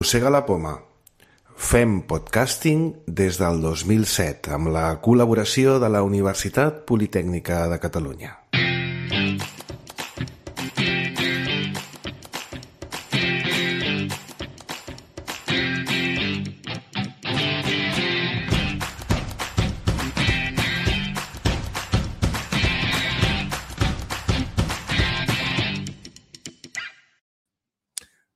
Mossega la poma. Fem podcasting des del 2007 amb la col·laboració de la Universitat Politècnica de Catalunya.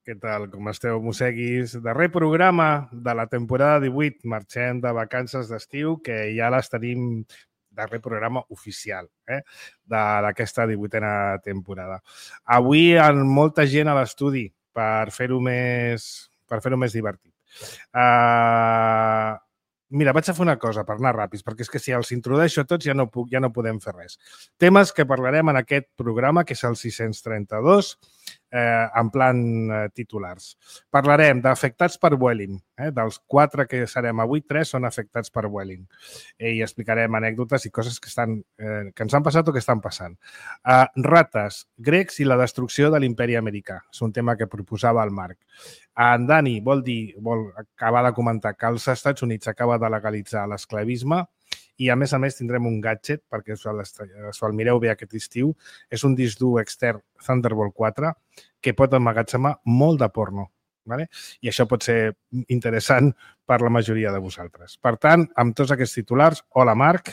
Què tal? Com esteu, mosseguis? Darrer programa de la temporada 18. Marxem de vacances d'estiu, que ja les tenim, darrer programa oficial d'aquesta 18a temporada. Avui amb molta gent a l'estudi per fer-ho més divertit. Mira, vaig a fer una cosa per anar ràpids, perquè és que si els introdueixo tots ja no podem fer res. Temes que parlarem en aquest programa, que és el 632, en plan titulars. Parlarem d'afectats per Vueling. Dels 4 que serem avui, 3 són afectats per Vueling. I explicarem anècdotes i coses que ens han passat o que estan passant. Rates, grecs i la destrucció de l'imperi americà. És un tema que proposava el Marc. En Dani vol acabar de comentar que als Estats Units acaba de legalitzar l'esclavisme i, a més, tindrem un gadget, perquè us el mireu bé aquest estiu. És un disc dur extern Thunderbolt 4 que pot emmagatzemar molt de porno. I això pot ser interessant per la majoria de vosaltres. Per tant, amb tots aquests titulars, hola, Marc.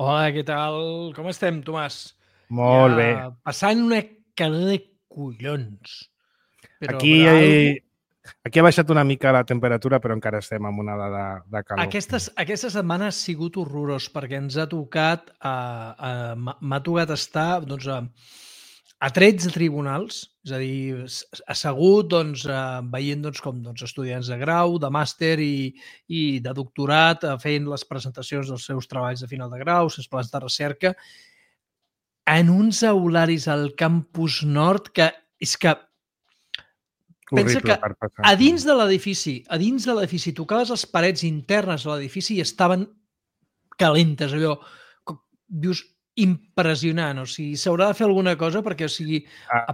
Hola, què tal? Com estem, Tomàs? Molt bé. Passant una calor de collons. Aquí ha baixat una mica la temperatura, però encara estem en una de calor. Aquesta setmana ha sigut horrorós, perquè ens ha tocat, m'ha tocat estar a 13 tribunals, és a dir, assegut veient com estudiants de grau, de màster i de doctorat, fent les presentacions dels seus treballs de final de grau, els seus plans de recerca, en uns aularis al campus nord que és que pensa que a dins de l'edifici, tocaves les parets internes de l'edifici i estaven calentes, allò, dius, impressionant. O sigui, s'haurà de fer alguna cosa perquè, o sigui, a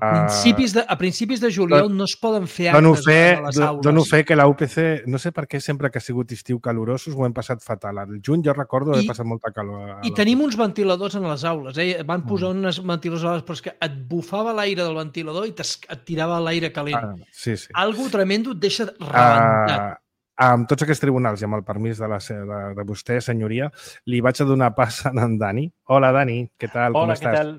principis de juliol no es poden fer actes a les aules. Dono fe que la UPC, no sé per què sempre que ha sigut estiu calorosos ho hem passat fatal. Al juny jo recordo haver passat molta calor. I tenim uns ventiladors en les aules. Van posar uns ventiladors a les aules, però és que et bufava l'aire del ventilador i et tirava l'aire calent. Sí. Algo tremendo et deixa rebentat. Amb tots aquests tribunals i amb el permís de vostè, senyoria, li vaig a donar pas a en Dani. Hola, Dani, què tal? Hola, com estàs?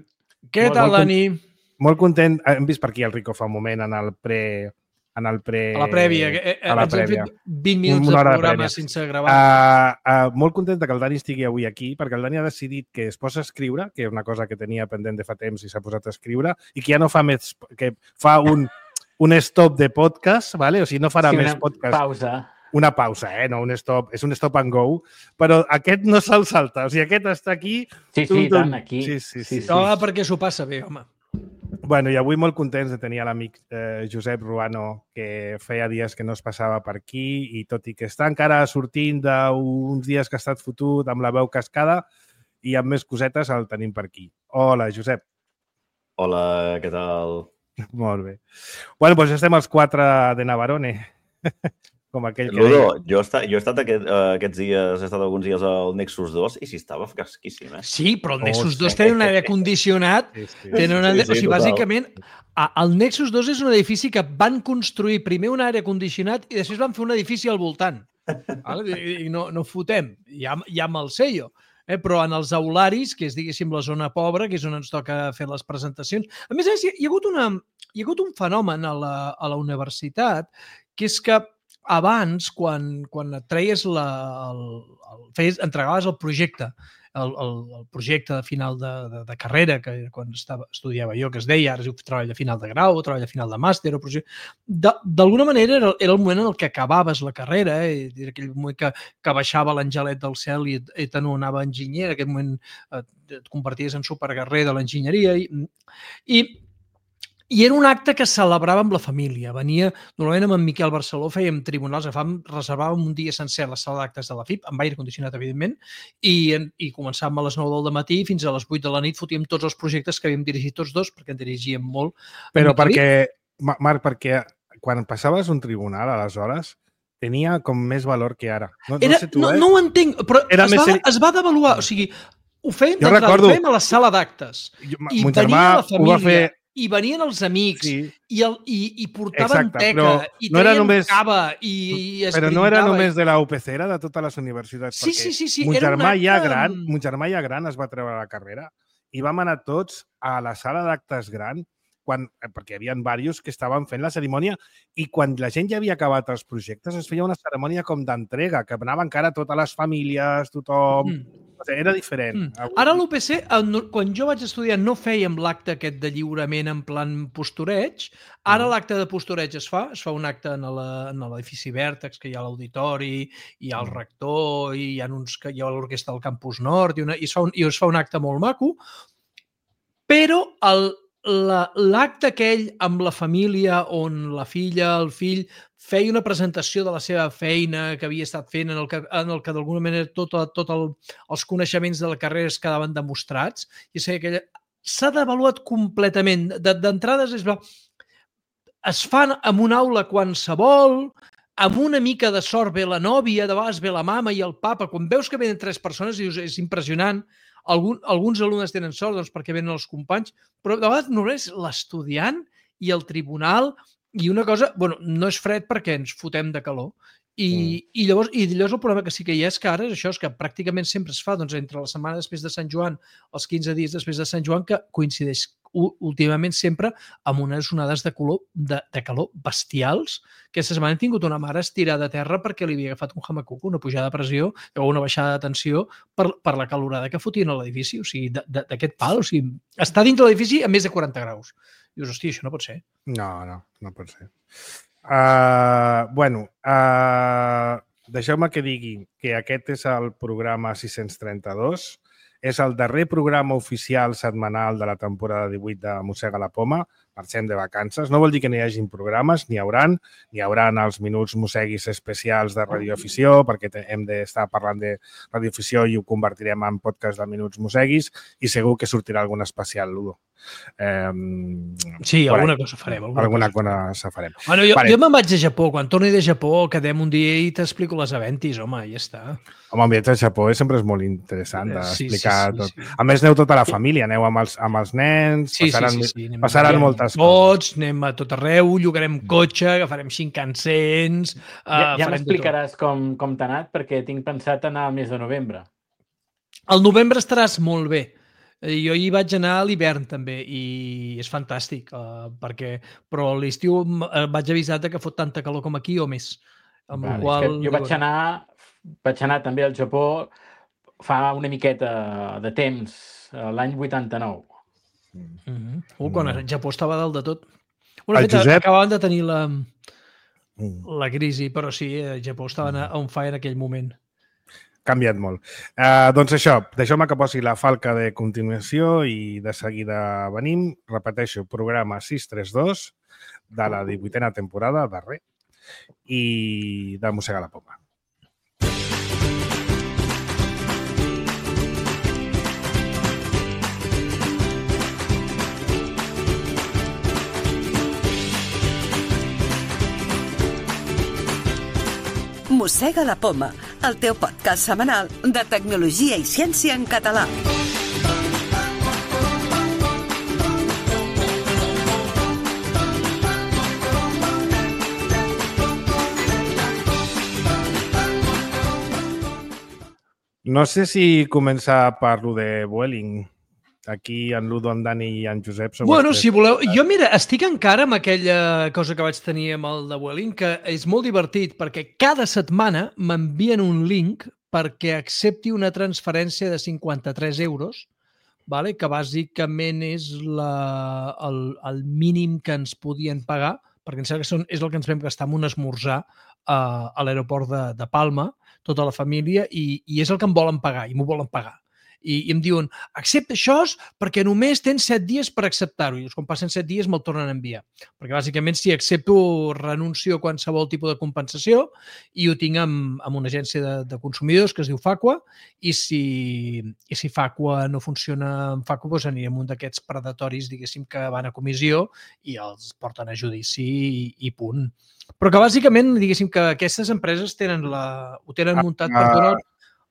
Què tal, Dani? Molt content. Hem vist per aquí el Rico fa un moment en el pre... A la prèvia. Ens hem fet 20 minuts de programa sense gravar. Molt content que el Dani estigui avui aquí, perquè el Dani ha decidit que es posa a escriure, que és una cosa que tenia pendent de fa temps i s'ha posat a escriure, i que ja no fa més... que fa un stop de podcast, o sigui, no farà més podcast. Pausa. Una pausa, no un stop, és un stop and go, però aquest no se'l salta, o sigui, aquest està aquí... Sí, tant, aquí. Sí. Perquè s'ho passa bé, home. Bueno, i avui molt contents de tenir l'amic Josep Ruano, que feia dies que no es passava per aquí, i tot i que està encara sortint d'uns dies que ha estat fotut amb la veu cascada, i amb més cosetes el tenim per aquí. Hola, Josep. Hola, què tal? Molt bé. Bueno, doncs estem els 4 de Navarone. Com aquell que Ludo, jo he estat aquests dies, he estat alguns dies al Nexus 2 i sí, estava fresquíssim, Sí, però el Nexus 2 té un aire condicionat. O sigui, bàsicament, el Nexus 2 és un edifici que van construir primer un aire condicionat i després van fer un edifici al voltant. I no fotem, ja amb el sello. Però en els aularis, que és, diguéssim, la zona pobra, que és on ens toca fer les presentacions. A més, hi ha hagut un fenomen a la universitat, que és que abans, quan et treies entregaves el projecte, el projecte de final de carrera, que quan estudiava jo, que es deia, ara es diu treball de final de grau, treball de final de màster, d'alguna manera era el moment en el que acabaves la carrera, era aquell moment que baixava l'angelet del cel i t'anomenava enginyer, en aquest moment et converties en superguerrer de l'enginyeria i era un acte que celebrava amb la família. Venia, normalment amb en Miquel Barceló fèiem tribunals, reservàvem un dia sencer a la sala d'actes de la FIP, amb aire condicionat, evidentment, i començàvem a les 9 del matí fins a les 8 de la nit, fotíem tots els projectes que havíem dirigit tots dos, perquè en dirigíem molt. Però perquè, Marc, perquè quan passaves un tribunal, aleshores, tenia com més valor que ara. No sé tu, no ho entenc, però es va devaluar. O sigui, ho fèiem d'entrada, ho fèiem a la sala d'actes. I venia la família, i venien els amics, i portaven teca, i treien cava, i es brindava. Però no era només de la UPC, era de totes les universitats. Sí. Mon germà ja gran es va treure la carrera i vam anar tots a la sala d'actes gran perquè hi havia diversos que estaven fent la cerimònia i quan la gent ja havia acabat els projectes es feia una cerimònia com d'entrega, que anava encara totes les famílies, tothom... Era diferent. Ara a l'UPC, quan jo vaig estudiar, no fèiem l'acte aquest de lliurament en plan postureig. Ara l'acte de postureig es fa un acte en l'edifici Vèrtex, que hi ha l'auditori, hi ha el rector, hi ha l'orquestra del Campus Nord, i es fa un acte molt maco, però l'acte aquell amb la família on la filla, el fill, feia una presentació de la seva feina que havia estat fent en el que d'alguna manera tots els coneixements de la carrera es quedaven demostrats. I s'ha devaluat completament. D'entrades es fan en una aula qualsevol, amb una mica de sort ve la nòvia, de vegades ve la mama i el papa. Quan veus que venen 3 persones, dius, és impressionant. Alguns alumnes tenen sort perquè venen els companys, però de vegades només l'estudiant i el tribunal i una cosa, no és fred perquè ens fotem de calor. I llavors el problema que sí que hi ha és que ara és que pràcticament sempre es fa entre la setmana després de Sant Joan, els 15 dies després de Sant Joan, que coincideix últimament sempre amb unes onades de calor bestials. Aquesta setmana hem tingut una mare estirada a terra perquè li havia agafat un hamacuc, una pujada de pressió o una baixada de tensió per la calorada que fotien a l'edifici. O sigui, d'aquest pal, o sigui, està dins de l'edifici a més de 40 graus. Dius, hòstia, això no pot ser. No pot ser. Deixeu-me que digui que aquest és el programa 632. És el darrer programa oficial setmanal de la temporada 18 de Mossega la Poma. Marxem de vacances. No vol dir que no hi hagin programes, n'hi hauran els minuts mosseguis especials de radioafició, perquè hem d'estar parlant de radioafició i ho convertirem en podcast de minuts mosseguis i segur que sortirà algun especial, Ludo. Sí, alguna cosa farem. Alguna cosa farem. Bueno, jo me'n vaig a Japó. Quan torni de Japó, quedem un dia i t'explico les aventis, home, ja està. Home, un viatge a Japó sempre és molt interessant d'explicar tot. A més, aneu tota la família, aneu amb els nens, passaran moltes coses. Anem a tot arreu, llogarem cotxe, agafarem Shinkansens... Ja m'explicaràs com t'ha anat, perquè tinc pensat anar al mes de novembre. Al novembre estaràs molt bé. Jo hi vaig anar a l'hivern també i és fantàstic, però a l'estiu vaig avisar que fot tanta calor com aquí o més. Jo vaig anar també al Japó fa una miqueta de temps, l'any 89. Quan el Japó estava dalt de tot. Acabaven de tenir la crisi, però sí, el Japó estava on fire en aquell moment. Canviat molt. Doncs això, deixeu-me que posi la falca de continuació i de seguida venim. Repeteixo, programa 632 de la 18a temporada, darrer, i de Mossega la Poma. Mossega la Poma, el teu podcast setmanal de tecnologia i ciència en català. No sé si començar per lo de Vueling. Aquí en Ludo, en Dani i en Josep... Si voleu... Jo, mira, estic encara amb aquella cosa que vaig tenir amb el de Vueling, que és molt divertit, perquè cada setmana m'envien un link perquè accepti una transferència de 53 euros, que bàsicament és el mínim que ens podien pagar, perquè em sembla que és el que ens vam gastar en un esmorzar a l'aeroport de Palma, tota la família, i és el que em volen pagar, i m'ho volen pagar. i em diuen, accepta això perquè només tens 7 dies per acceptar-ho. I quan passen 7 dies me'l tornen a enviar. Perquè bàsicament si accepto renuncio a qualsevol tipus de compensació i ho tinc amb una agència de consumidors que es diu Facua i si Facua no funciona amb Facua, doncs anirem un d'aquests predatoris, diguéssim, que van a comissió i els porten a judici i punt. Però que bàsicament, diguéssim, que aquestes empreses ho tenen muntat per donar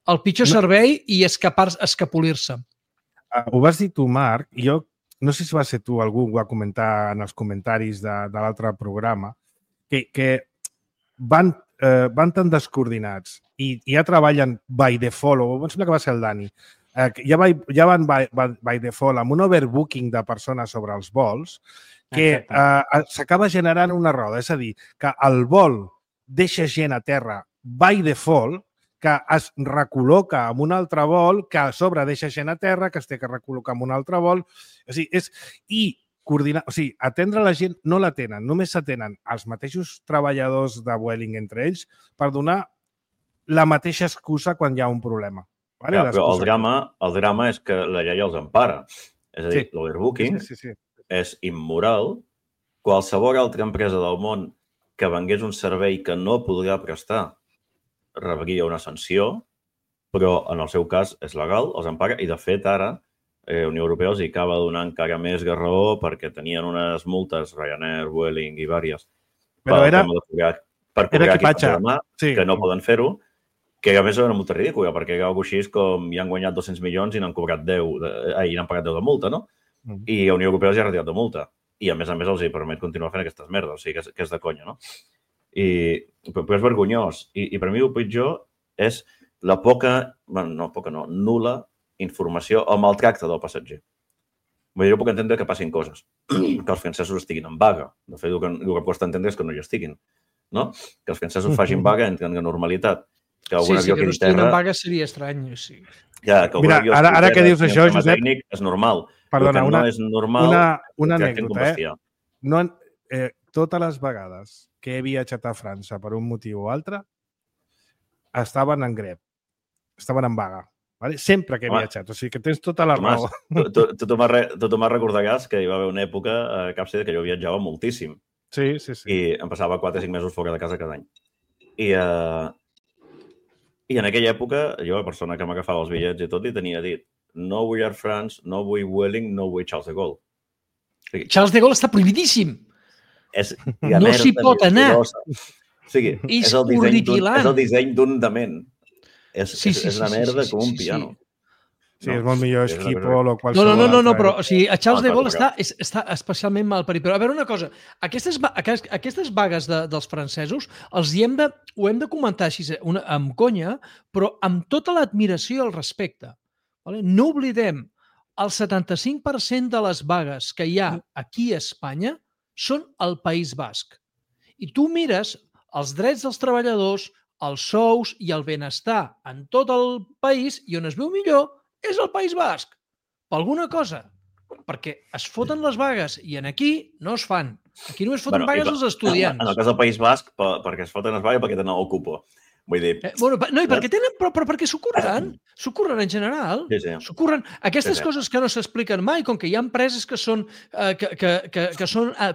el pitjor servei i escapolir-se. Ho vas dir tu, Marc, i jo no sé si va ser tu, algú ho va comentar en els comentaris de l'altre programa, que van tan descoordinats i ja treballen by default, o em sembla que va ser el Dani, ja van by default amb un overbooking de persones sobre els vols que s'acaba generant una roda. És a dir, que el vol deixa gent a terra by default, que es recol·loca en un altre vol, que a sobre deixa gent a terra, que es té que recol·locar en un altre vol. O sigui, coordinar, o sigui, atendre la gent no la tenen, només s'atenen els mateixos treballadors de Vueling entre ells per donar la mateixa excusa quan hi ha un problema. Vale? Però el drama és que la llei els empara. És a dir, l'overbooking és immoral. Qualsevol altra empresa del món que vengués un servei que no podrà prestar rebria una sanció, però en el seu cas és legal, els empara, i de fet ara Unió Europea els acaba donant encara més raó perquè tenien unes multes, Ryanair, Vueling i vàries, per cobrar equipatge de mà, que no poden fer-ho, que a més era una multa ridícula, perquè era alguna cosa així com hi han guanyat 200 milions i n'han cobrat 10, i n'han pagat 10 de multa, no? I a Unió Europea els ha retirat de multa. I a més els hi permet continuar fent aquestes merdes, o sigui que és de conya, no? Però és vergonyós. I per mi el pitjor és la nul·la informació o maltracte del passatger. Vull dir, jo puc entendre que passin coses, que els francesos estiguin en vaga. De fet, el que costa entendre és que no hi estiguin, no? Que els francesos facin vaga, entren en normalitat. Que no estiguin en vaga seria estrany, sí. Mira, ara que dius això, Josep... És normal. Perdona, no és normal una anècdota, totes les vegades que he viatjat a França per un motiu o altre, estaven en grep, estaven en vaga. Vale? Sempre que he viatjat, o sigui que tens tota la raó. Tothom recordaràs que hi va haver una època a Capcida que jo viatjava moltíssim. Sí. I em passava 4 o 5 mesos fora de casa cada any. I en aquella època, jo, la persona que m'agafava els bitllets i tot, li tenia dit no vull Air France, no vull Vueling, no vull Charles de Gaulle. Charles de Gaulle està prohibidíssim. No s'hi pot anar. És el disseny d'un dement. És una merda com un piano. Sí, és molt millor Schiphol o qualsevol altre. No, però o sigui, a Charles de Gaulle està especialment mal parit. Però a veure una cosa, aquestes vagues dels francesos ho hem de comentar així amb conya, però amb tota l'admiració i el respecte. No oblidem, el 75% de les vagues que hi ha aquí a Espanya són al País Basc. I tu mires els drets dels treballadors, els sous i el benestar en tot el país i on es veu millor és el País Basc. Per alguna cosa. Perquè es foten les vagues i aquí no es fan. Aquí només foten vagues els estudiants. En el cas del País Basc, perquè es foten les vagues perquè tenen el cupo. Vull dir... perquè s'ho curren en general. S'ho aquestes coses que no s'expliquen mai, com que hi ha empreses que són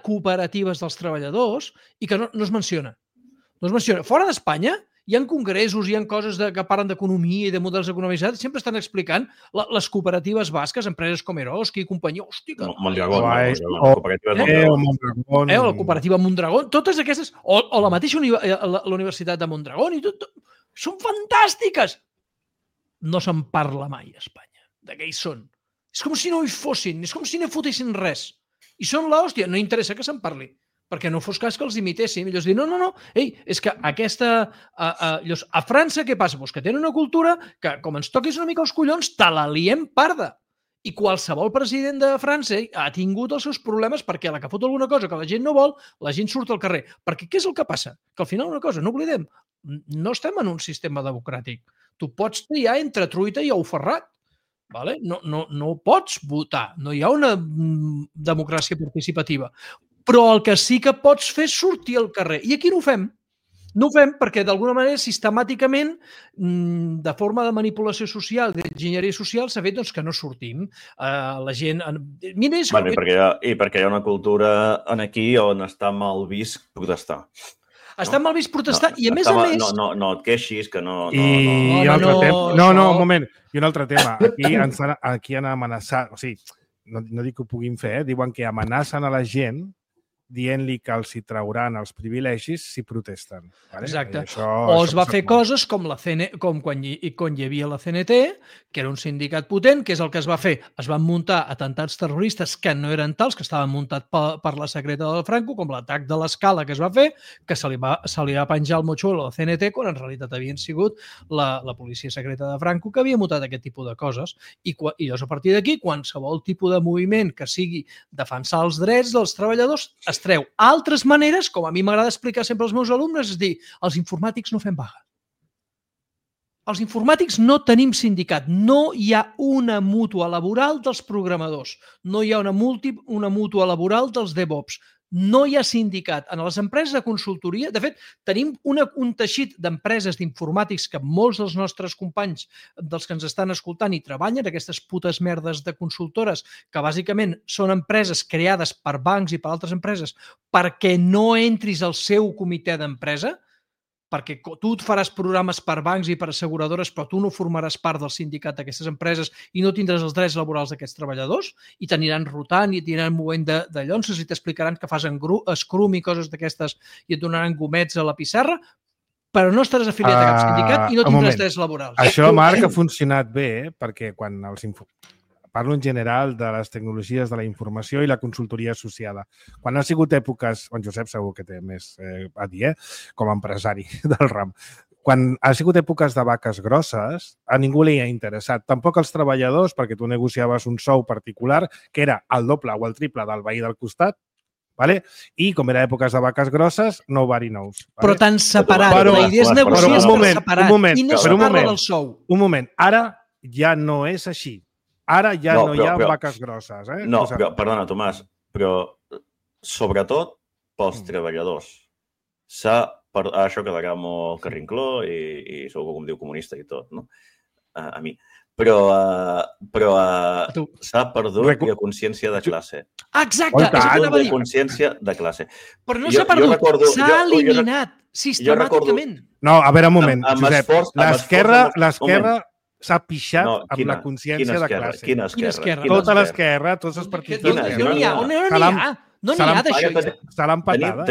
cooperatives dels treballadors i que no es menciona. No es menciona. Fora d'Espanya hi ha congressos, hi ha coses que parlen d'economia i de models economitzats, sempre estan explicant les cooperatives basques, empreses com Eroski i companyia. Hòstia, Mondragón. La cooperativa Mondragón, totes aquestes, o la mateixa la Universitat de Mondragón, i tot, són fantàstiques! No se'n parla mai a Espanya, de què hi són. És com si no hi fossin, és com si no fotessin res. I són l'hòstia, no interessa que se'n parli. Perquè no fos cas que els imitéssim. I llavors dir, no, és que a França què passa? Doncs que tenen una cultura que, com ens toquis una mica els collons, te la liem parda. I qualsevol president de França ha tingut els seus problemes perquè a la que fot alguna cosa que la gent no vol, la gent surt al carrer. Perquè què és el que passa? Que al final una cosa, no oblidem, no estem en un sistema democràtic. Tu pots triar entre truita i ou ferrat. No pots votar. No hi ha una democràcia participativa. Però el que sí que pots fer és sortir al carrer. I aquí no ho fem. No ho fem perquè, d'alguna manera, sistemàticament, de forma de manipulació social, d'enginyeria social, s'ha fet que no sortim. La gent... Mira, I perquè hi ha una cultura aquí on està mal vist protestar. Està mal vist protestar i, a més a més... No et queixis, que no... I un altre tema... No, un moment. I un altre tema. Aquí han amenaçat... O sigui, no dic que ho puguin fer, diuen que amenacen a la gent dient-li que els hi trauran els privilegis si protesten. Vale? Exacte. O es va fer coses com quan hi havia la CNT, que era un sindicat potent, que és el que es va fer. Es van muntar atentats terroristes que no eren tals, que estaven muntats per la secreta del Franco, com l'atac de l'Escala que es va fer, que se li va penjar el motxuelo a la CNT, quan en realitat havien sigut la policia secreta de Franco que havia muntat aquest tipus de coses. I llavors, a partir d'aquí, qualsevol tipus de moviment que sigui defensar els drets dels treballadors es treu. Altres maneres, com a mi m'agrada explicar sempre als meus alumnes, és dir, els informàtics no fem vaga. Els informàtics no tenim sindicat. No hi ha una mútua laboral dels programadors. No hi ha una mútua laboral dels DevOps. No hi ha sindicat. En les empreses de consultoria, de fet, tenim un teixit d'empreses d'informàtics que molts dels nostres companys, dels que ens estan escoltant i treballen, aquestes putes merdes de consultores, que bàsicament són empreses creades per bancs i per altres empreses perquè no entris al seu comitè d'empresa, perquè tu et faràs programes per bancs i per asseguradores, però tu no formaràs part del sindicat d'aquestes empreses i no tindràs els drets laborals d'aquests treballadors i t'aniran rotant i t'aniran movent de llonces i t'explicaran que fas Scrum i coses d'aquestes i et donaran gomets a la pissarra, però no estaràs afiliat a cap sindicat i no tindràs drets laborals. Això, Marc, ha funcionat bé perquè quan parlo en general de les tecnologies de la informació i la consultoria associada. Quan ha sigut èpoques, en Josep segur que té més a dir, com a empresari del ram, quan ha sigut èpoques de vaques grosses, a ningú li ha interessat. Tampoc als treballadors, perquè tu negociaves un sou particular que era el doble o el triple del veí del costat, vale? I com era èpoques de vaques grosses, nobody knows. Vale? Però t'han separat. La idea és negociar per separat. I no es parla del sou. Un moment. Ara ja no és així. Ara ja no hi ha vaques grosses. No, però, perdona, Tomàs, però sobretot pels treballadors. Això quedarà molt carrincló i segur que em diu comunista i tot, no? A mi. Però s'ha perdut la consciència de classe. Exacte, és el que anava a dir. Consciència de classe. Però no s'ha perdut, s'ha eliminat sistemàticament. No, a veure, un moment, Josep. L'esquerra s'ha pixat amb la consciència de classe. Quina esquerra? Tota l'esquerra, tots els partits. No n'hi ha. No n'hi ha d'això. Se l'han patada.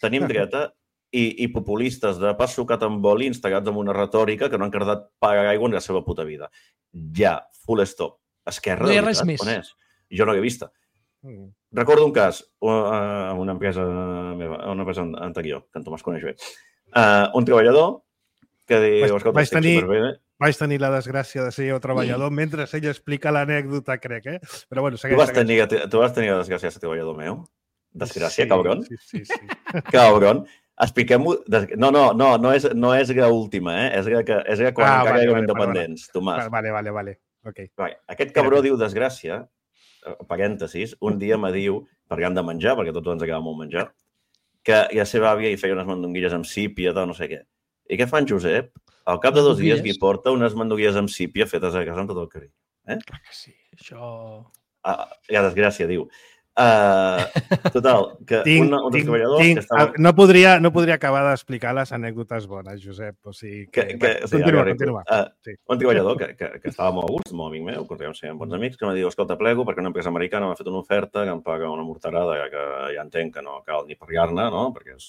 Tenim dreta i populistes de pas sucat amb oli instal·lats en una retòrica que no han cardat pagar aigua en la seva puta vida. Ja, full stop. Esquerra, no hi ha res més. On és? Jo no l'he vista. Recordo un cas a una empresa meva, a una empresa anterior, que en Tomàs coneix bé. Un treballador que diu, escolta, estic superbé. Vaig tenir la desgràcia de ser jo treballador mentre ell explica l'anècdota, crec, Però bueno, segueix. Tu vas tenir la desgràcia de ser treballador meu? Desgràcia, cabron? Sí. Cabron. Expliquem-ho... No és la última, És la quan encara érem independents, Tomàs. Vale. Okay. Aquest cabró diu desgràcia, parèntesis, un dia me diu, perquè han de menjar, perquè a tots ens agrada molt menjar, que la seva àvia hi feia unes mandonguilles amb sípia, no sé què. I què fa en Josep? Al cap de 2 dies li porta unes mandonguilles amb sípia fetes a casa amb tot el carinyo. Clar que sí, això... La desgràcia, diu. Total, que un dels treballadors que estava... No podria acabar d'explicar les anècdotes bones, Josep. O sigui continua. Un treballador que estava molt a gust, molt amic meu, continuem sent bons amics, que em diu, escolta, plego perquè una empresa americana m'ha fet una oferta que em paga una morterada que ja entenc que no cal ni parlar-ne, no? Perquè és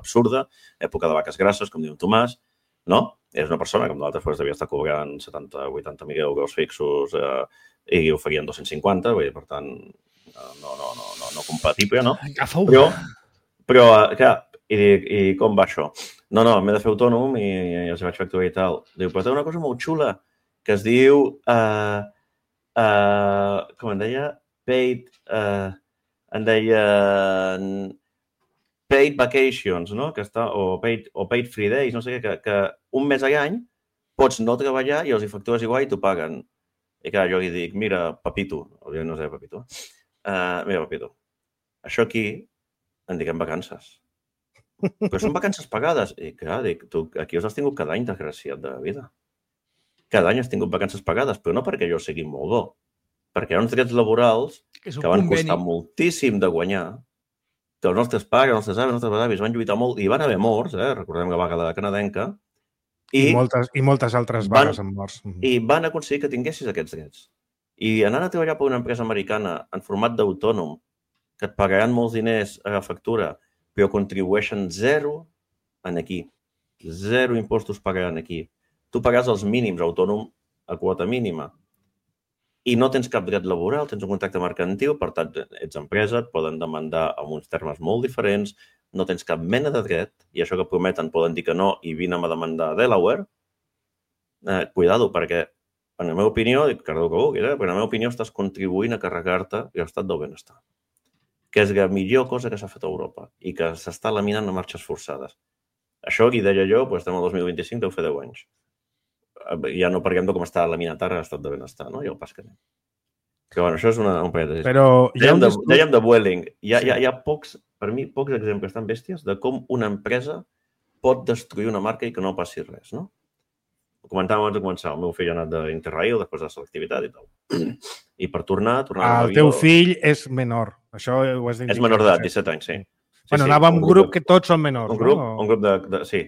absurda, època de vaques grasses, com diu Tomàs, no? És una persona que amb d'altres pues, devia estar cobrant 70-80.000 euros fixos i ho farien 250, vull dir, per tant, no compatible, no? Però clar, i com va això? No, m'he de fer autònom i els vaig facturar i tal. Diu, però té una cosa molt xula que es diu, com em deia, paid vacations, no? Que està, o paid free days, no sé què, que un mes a l'any pots no treballar i els hi factures igual i t'ho paguen. I clar, jo li dic, mira, Papito, no sé Papito, mira, Papito, això aquí en diguem vacances. Però són vacances pagades. I clar, dic, tu aquí us has tingut cada any, desgraciat de vida. Cada any has tingut vacances pagades, però no perquè jo sigui molt bo. Perquè hi ha uns drets laborals que van costar moltíssim de guanyar, que els nostres pares, els nostres avis, els nostres avis van lluitar molt i van haver morts, recordem la vaga de canadenca, i moltes altres vagues amb morts. I van aconseguir que tinguessis aquests drets. I anant a treballar per una empresa americana en format d'autònom, que et pagaran molts diners a la factura, però contribueixen zero en aquí. Zero impostos pagaran aquí. Tu pagaràs els mínims autònom a quota mínima i no tens cap dret laboral, tens un contracte mercantil, per tant, ets empresa, et poden demandar amb uns termes molt diferents, no tens cap mena de dret, i això que prometen poden dir que no i vine a demandar a Delaware. Cuidado, perquè en la meva opinió, però en la meva opinió estàs contribuint a carregar-te l'estat del benestar, que és la millor cosa que s'ha fet a Europa i que s'està laminant a marxes forçades. Això, qui deia jo, estem al 2025, deu fer 10 anys. Ja no parlem de com està laminat ara l'estat de benestar, no? I el pas que anem. Però bueno, això és un parèntesi. Dèiem de Vueling. Hi ha per mi, pocs exemples tan bèsties de com una empresa pot destruir una marca i que no passi res, no? Ho comentàvem abans de començar. El meu fill ha anat d'Interrail després de selectivitat i tal. I per tornar el teu fill és menor. Això ho has d'indicar. És menor d'edat, 17 anys, sí. Bueno, anava amb un grup que tots són menors. Un grup de... Sí.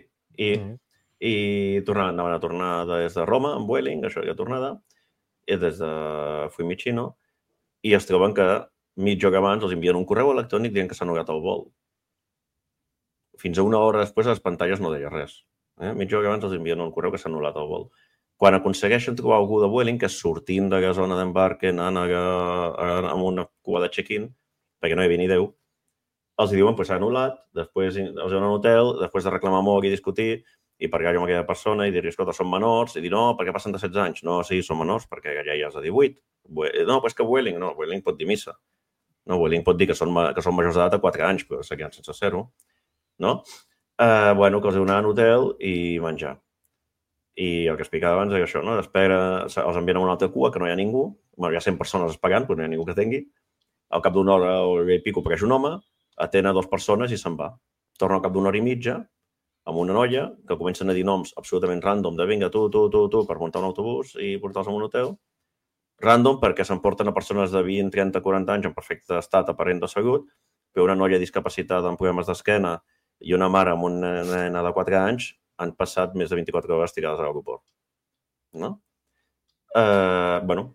I anaven a tornar des de Roma, amb Vueling, això ja tornada, i des de Fiumicino, i es troben que mitja hora abans els envien un correu electrònic dient que s'ha anul·lat el vol. Fins a una hora després a les pantalles no deia res. Mitja hora abans els envien un correu que s'ha anul·lat el vol. Quan aconsegueixen trobar algú de Vueling, que és sortint de la zona d'embarque, anant amb una cua de check-in, perquè no hi havia ni Déu, els diuen que s'ha anul·lat, després els donen un hotel, després de reclamar molt i discutir, i parlar amb aquella persona i dir-li, escolta, són menors, i dir, no, perquè passen de 16 anys. No, sí, són menors, perquè ja és de 18. No, però és que Vueling pot dir missa. No, Vueling pot dir que són majors d'edat a 4 anys, però seguien sense ser-ho. No? Bueno, que els donaven hotel i menjar. I el que explicava abans és això, no? D'espera, els envien a una altra cua, que no hi ha ningú. Bueno, hi ha 100 persones esperant, però no hi ha ningú que tingui. Al cap d'una hora o i pico apareix un home, atén a 2 persones i se'n va. Torna al cap d'una hora i mitja, amb una noia, que comencen a dir noms absolutament random de vinga, tu, per muntar un autobús i portar-los a un hotel. Random perquè s'emporten a persones de 20, 30, 40 anys en perfecte estat aparent de salut, però una noia discapacitada amb problemes d'esquena i una mare amb una nena de 4 anys han passat més de 24 hores tirades a l'aeroport. No? Bueno,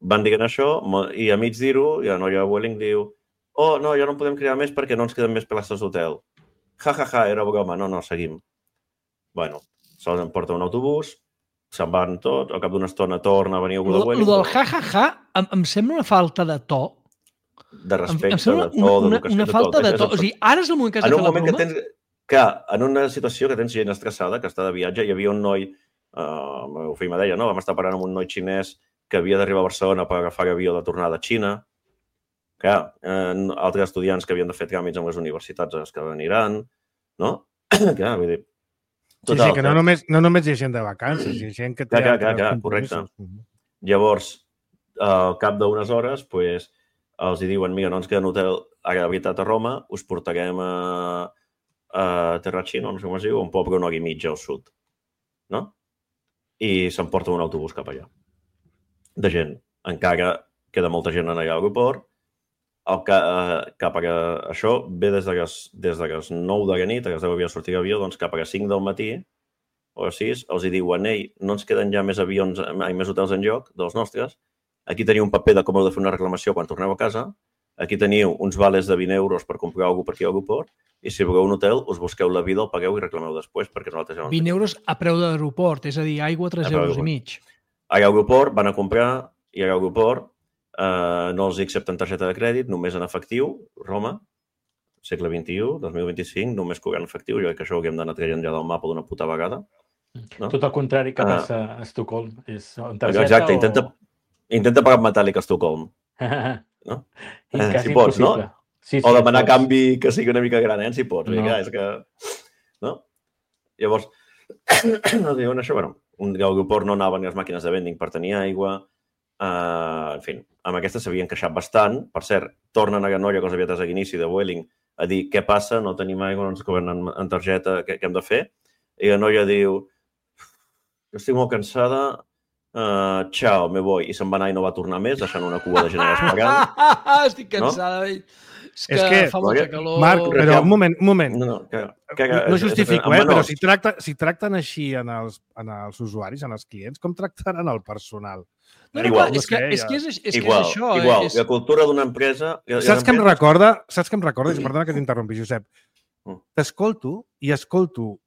van dient això i a mig dir-ho, i la noia de Vueling diu oh, no, ja no en podem crear més perquè no ens queden més places d'hotel. Ja, era broma, no, seguim. Bueno, se'ls emporta un autobús, se'n van tots, al cap d'una estona torna a venir algú de Vueling. El del ja, em sembla una falta de to. De respecte, de to, d'educació. Una falta de to. O sigui, ara és el moment que has de fer la broma? Que en una situació que tens gent estressada, que està de viatge, hi havia un noi, el meu fill me deia, no? Vam estar parlant amb un noi xinès que havia d'arribar a Barcelona per agafar l'avió de tornada a Xina. Clar, altres estudiants que havien de fer tràmits amb les universitats que veniran, no? Clar, vull dir... Total, sí, que no només hi ha gent de vacances, hi ha gent que té... Clar, correcte. Llavors, al cap d'unes hores, els diuen, mira, no ens queda un hotel a la veritat a Roma, us portarem a Terracino, no sé com es diu, un poble una hora i mitja al sud, no? I s'emporta un autobús cap allà. De gent. Encara queda molta gent en l'aeroport. Cap a això ve des de les 9 de la nit, a les 10 havia de sortir l'avió, doncs cap a les 5 del matí o a les 6 els diuen, ei, no ens queden ja més avions, més hotels en lloc dels nostres, aquí teniu un paper de com heu de fer una reclamació quan torneu a casa, aquí teniu uns vales de 20 euros per comprar alguna per aquí a l'aeroport, i si voleu un hotel, us busqueu la vida, el pagueu i reclameu després, perquè nosaltres ja no... 20 euros a preu d'aeroport, és a dir, aigua 3 euros i mig. A l'aeroport van a comprar, i a l'aeroport no els accepten targeta de crèdit, només en efectiu, Roma, segle XXI, 2025, només cobrant efectiu. Jo crec que això hauríem d'anar traient ja del mapa d'una puta vegada. No? Tot el contrari que passa a Estocolm. Exacte, intenta pagar amb metàl·lic a Estocolm. No? Si pots, no? Sí, o demanar canvi que sigui una mica gran, si pots. No. És que... No? Llavors, diuen això, bueno, l'aeroport no anaven les màquines de vending per tenir aigua. En fi, amb aquesta s'havien queixat bastant. Per cert, tornen a la noia que els havia tret a l'inici de Vueling a dir què passa, no tenim aigua, no ens cobren en targeta, què hem de fer? I la noia diu, estic molt cansada, ciao, me voy. I se'n va anar i no va tornar més, deixant una cua de gent esperant. Estic cansada. És que fa molta calor. Marc, però un moment. No justifico, però si tracten així en els usuaris, en els clients, com tractaran el personal? Igual. És que és això. Igual. La cultura d'una empresa... Saps què em recorda? Perdona que t'interrompi, Josep. T'escolto i escolto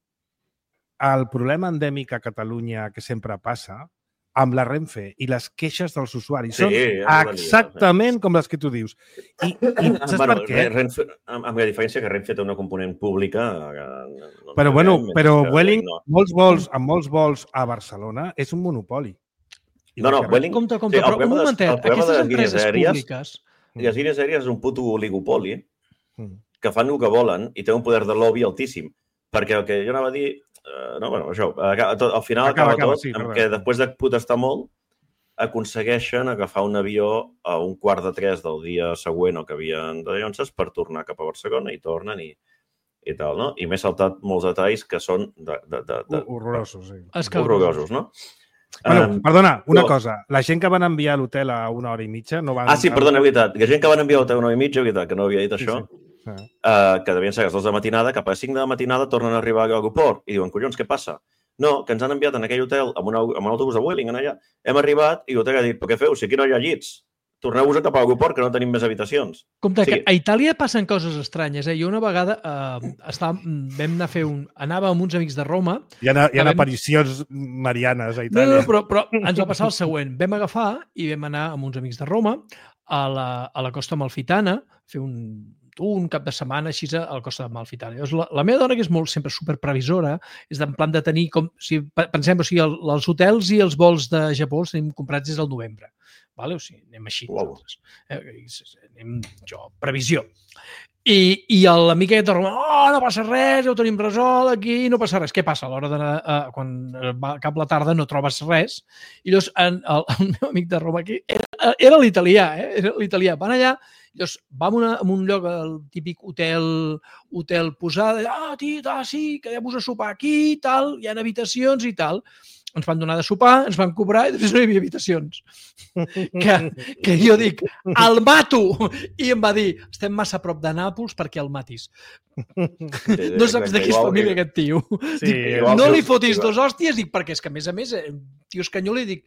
el problema endèmic a Catalunya que sempre passa amb la Renfe i les queixes dels usuaris són exactament com les que tu dius. I saps per què? Amb la diferència que Renfe té una component pública... Però Vueling, amb molts vols a Barcelona, és un monopoli. Vueling... Compte, però un momentet, aquestes empreses públiques... Les línies aèries és un puto oligopoli que fan el que volen i té un poder de lobby altíssim. Perquè el que jo anava a dir... al final acaba tot que després de protestar molt aconsegueixen agafar un avió a 2:45 del dia següent o que havien de Llonses per tornar cap a Barcelona i tornen i tal, no? I m'he saltat molts detalls que són horrorosos, sí. Horrorosos, no? Perdona, una cosa. La gent que van enviar a l'hotel a 1 hora i mitja no van... sí, perdona, és veritat. La gent que van enviar a l'hotel a 1 hora i mitja, és veritat, que no havia dit això, que devien ser a les 2 de matinada, cap a les 5 de la matinada tornen a arribar a l'aeroport i diuen, collons, què passa? No, que ens han enviat en aquell hotel amb un autobús de Vueling allà. Hem arribat i l'hotel ha dit, però què feu? Si aquí no hi ha llits. Torneu-vos cap a l'aeroport, que no tenim més habitacions. Compte, que a Itàlia passen coses estranyes. Jo una vegada vam anar a fer anàvem amb uns amics de Roma... Hi ha aparicions marianes a Itàlia. No, però ens va passar el següent. Vam agafar i vam anar amb uns amics de Roma a la costa Amalfitana, fer un cap de setmana així a la costa Amalfitana. La meva dona, que és molt sempre superprevisora, és en plan de tenir, pensem, els hotels i els vols de Japó els tenim comprats des del novembre. O sigui, anem així. Anem, previsió. I l'amic aquest de Roma, no passa res, ja ho tenim resolt aquí, no passa res. Què passa? A l'hora d'anar, quan va cap la tarda no trobes res. I llavors el meu amic de Roma aquí era l'italià, era l'italià. Van allà, llavors vam a un lloc, el típic hotel posada, sí, quedem-vos a sopar aquí, tal, hi ha habitacions i tal. Ens van donar de sopar, ens van cobrar i després no hi havia habitacions. Que jo dic, el mato! I em va dir, estem massa a prop de Nàpols perquè el matis. No saps de qui és família aquest tio. No li fotis 2 hòsties, dic, perquè és que a més, tio espanyol, li dic,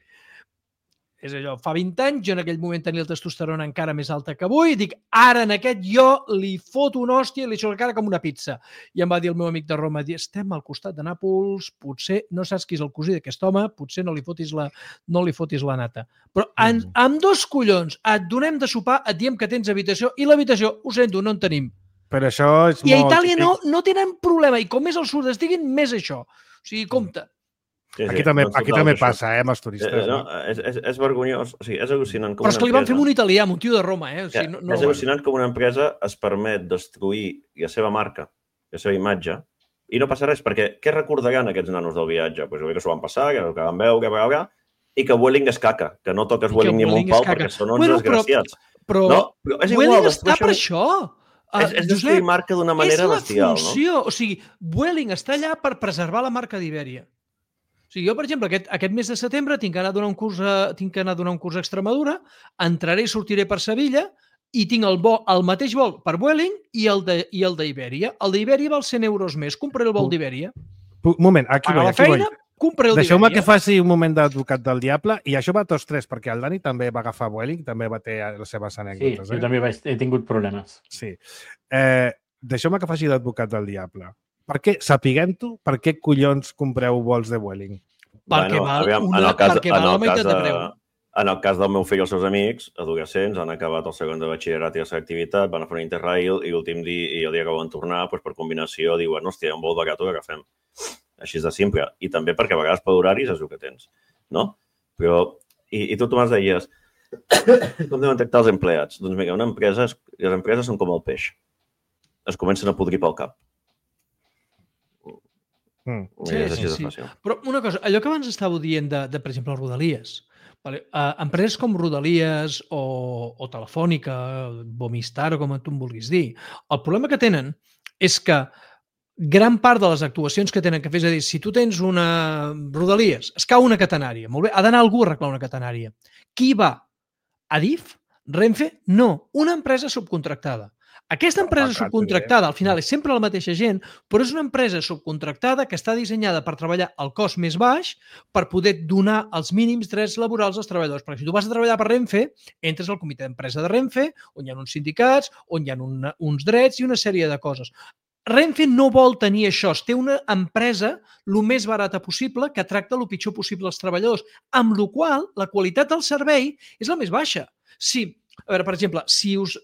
és allò, fa 20 anys, jo en aquell moment tenia el testosterona encara més alta que avui, i dic, ara en aquest jo li foto una hòstia i li deixo la cara com una pizza. I em va dir el meu amic de Roma, estem al costat de Nàpols, potser no saps qui és el cosí d'aquest home, potser no li fotis la nata. Però amb 2 collons et donem de sopar, et diem que tens habitació, i l'habitació, ho sento, no en tenim. Però això és I a Itàlia no tenen problema, i com més al sud estiguin, més això. O sigui, compte. Aquí també passa, amb els turistes. És vergonyós, o sigui, és al·lucinant com una empresa... Però és que li van fer amb un italià, amb un tio de Roma. És al·lucinant com una empresa es permet destruir la seva marca, la seva imatge, i no passa res, perquè què recordaran aquests nanos del viatge? Doncs que s'ho van passar, que van veure, i que Vueling és caca, que no toques Vueling ni amb un pal perquè són uns desgraciats. Però Vueling està per això. És destruir marca d'una manera bestial, no? És la funció. O sigui, Vueling està allà per preservar la marca d'Ibèria. O sigui, jo, per exemple, aquest mes de setembre tinc que anar a donar un curs a Extremadura, entraré i sortiré per Sevilla i tinc el mateix vol per Vueling i el d'Ibèria. El d'Ibèria val 100 euros més. Compraré el vol d'Ibèria. Un moment, aquí vaig. Compraré el d'Ibèria. Deixeu-me que faci un moment d'advocat del diable, i això va a tots 3, perquè el Dani també va agafar Vueling, també va tenir les seves anècdotes. Sí, jo també he tingut problemes. Sí. Deixeu-me que faci d'advocat del diable. Per què collons compreu vols de Vueling? Perquè val la meitat de preu. En el cas del meu fill i els seus amics, adolescents, han acabat el segon de batxillerat i la seva activitat, van a fer un Interrail i l'últim dia, i el dia que volen tornar, per combinació, diuen, hòstia, un vol barat ho agafem. Així de simple. I també perquè a vegades per horaris és el que tens, no? Però, i tu, Tomàs, deies, com deuen tractar els empleats? Doncs mira, les empreses són com el peix. Es comencen a podrir pel cap. Sí. Però una cosa, allò que abans estàveu dient de per exemple, les Rodalies, Empreses com Rodalies o Telefònica, Movistar o com tu em vulguis dir, el problema que tenen és que gran part de les actuacions que tenen que fer, és a dir, si tu tens una Rodalies, es cau una catenària, molt bé, ha d'anar algú a arreglar una catenària. Qui va? Adif? Renfe? No, una empresa subcontractada. Aquesta empresa subcontractada, al final, és sempre la mateixa gent, però és una empresa subcontractada que està dissenyada per treballar al cost més baix per poder donar els mínims drets laborals als treballadors. Perquè si tu vas a treballar per Renfe, entres al comitè d'empresa de Renfe, on hi ha uns sindicats, on hi ha uns drets i una sèrie de coses. Renfe no vol tenir això, té una empresa el més barata possible que tracta el pitjor possible als treballadors, amb la qual la qualitat del servei és la més baixa. Si, a veure, per exemple, si us...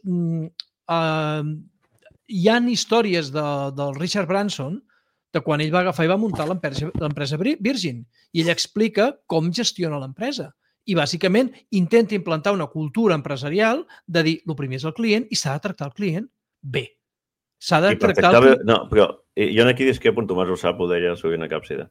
hi ha històries del Richard Branson de quan ell va agafar i va muntar l'empresa Virgin i ell explica com gestiona l'empresa i bàsicament intenta implantar una cultura empresarial de dir el primer és el client i s'ha de tractar el client bé. S'ha de tractar el client... No, però jo aquí discrepo en Tomàs ho sap, ho deia sovint a Càpsida.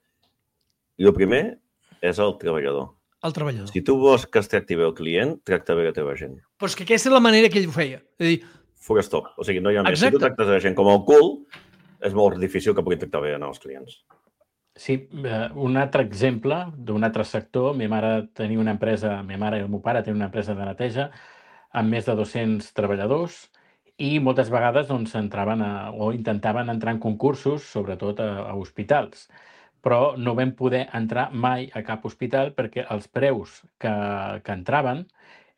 I el primer és el treballador. El treballador. Si tu vols que es tracti bé el client, tracta bé la teva gent. Però és que aquesta és la manera que ell ho feia. És a dir, Forestop. O sigui, no hi ha més. Si tu tractes la gent com el cul, és molt difícil que puguin tractar bé els clients. Sí, un altre exemple d'un altre sector. Ma mare tenia una empresa, ma mare i el meu pare tenen una empresa de neteja amb més de 200 treballadors i moltes vegades doncs, entraven o intentaven entrar en concursos, sobretot a hospitals. Però no vam poder entrar mai a cap hospital perquè els preus que entraven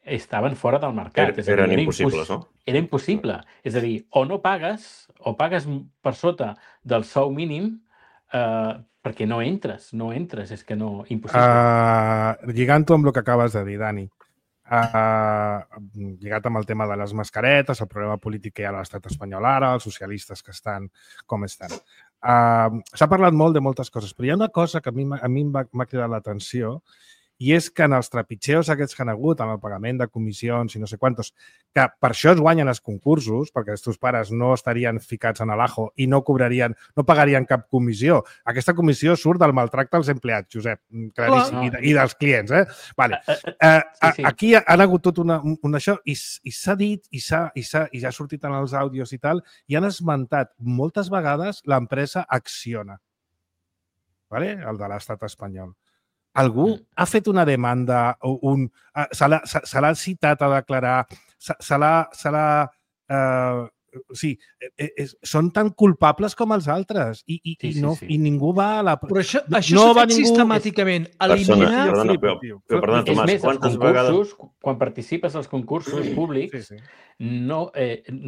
estaven fora del mercat. Eren impossibles, no? Era impossible. És a dir, o pagues per sota del sou mínim perquè no entres, és que no, impossible. Lligant-ho amb el que acabes de dir, Dani, lligat amb el tema de les mascaretes, el problema polític que hi ha a l'estat espanyol ara, els socialistes que estan com estan. S'ha parlat molt de moltes coses, però hi ha una cosa que a mi m'ha cridat l'atenció i és que en els trepitgeos aquests que han hagut, amb el pagament de comissions i no sé quantos, que per això es guanyen els concursos, perquè els teus pares no estarien ficats en l'ajo i no pagarien cap comissió. Aquesta comissió surt del maltracte als empleats, Josep, claríssim, i dels clients. Vale. Aquí han hagut tot això i s'ha dit i ja ha sortit en els àudios i tal, i han esmentat moltes vegades l'empresa Acciona, el de l'estat espanyol. Algú ha fet una demanda, se l'ha citat a declarar, sí, són tan culpables com els altres i ningú va a la... Però això s'ha fet sistemàticament. Eliminar... Perdona, Tomàs, és més, els concursos, quan participes als concursos públics, no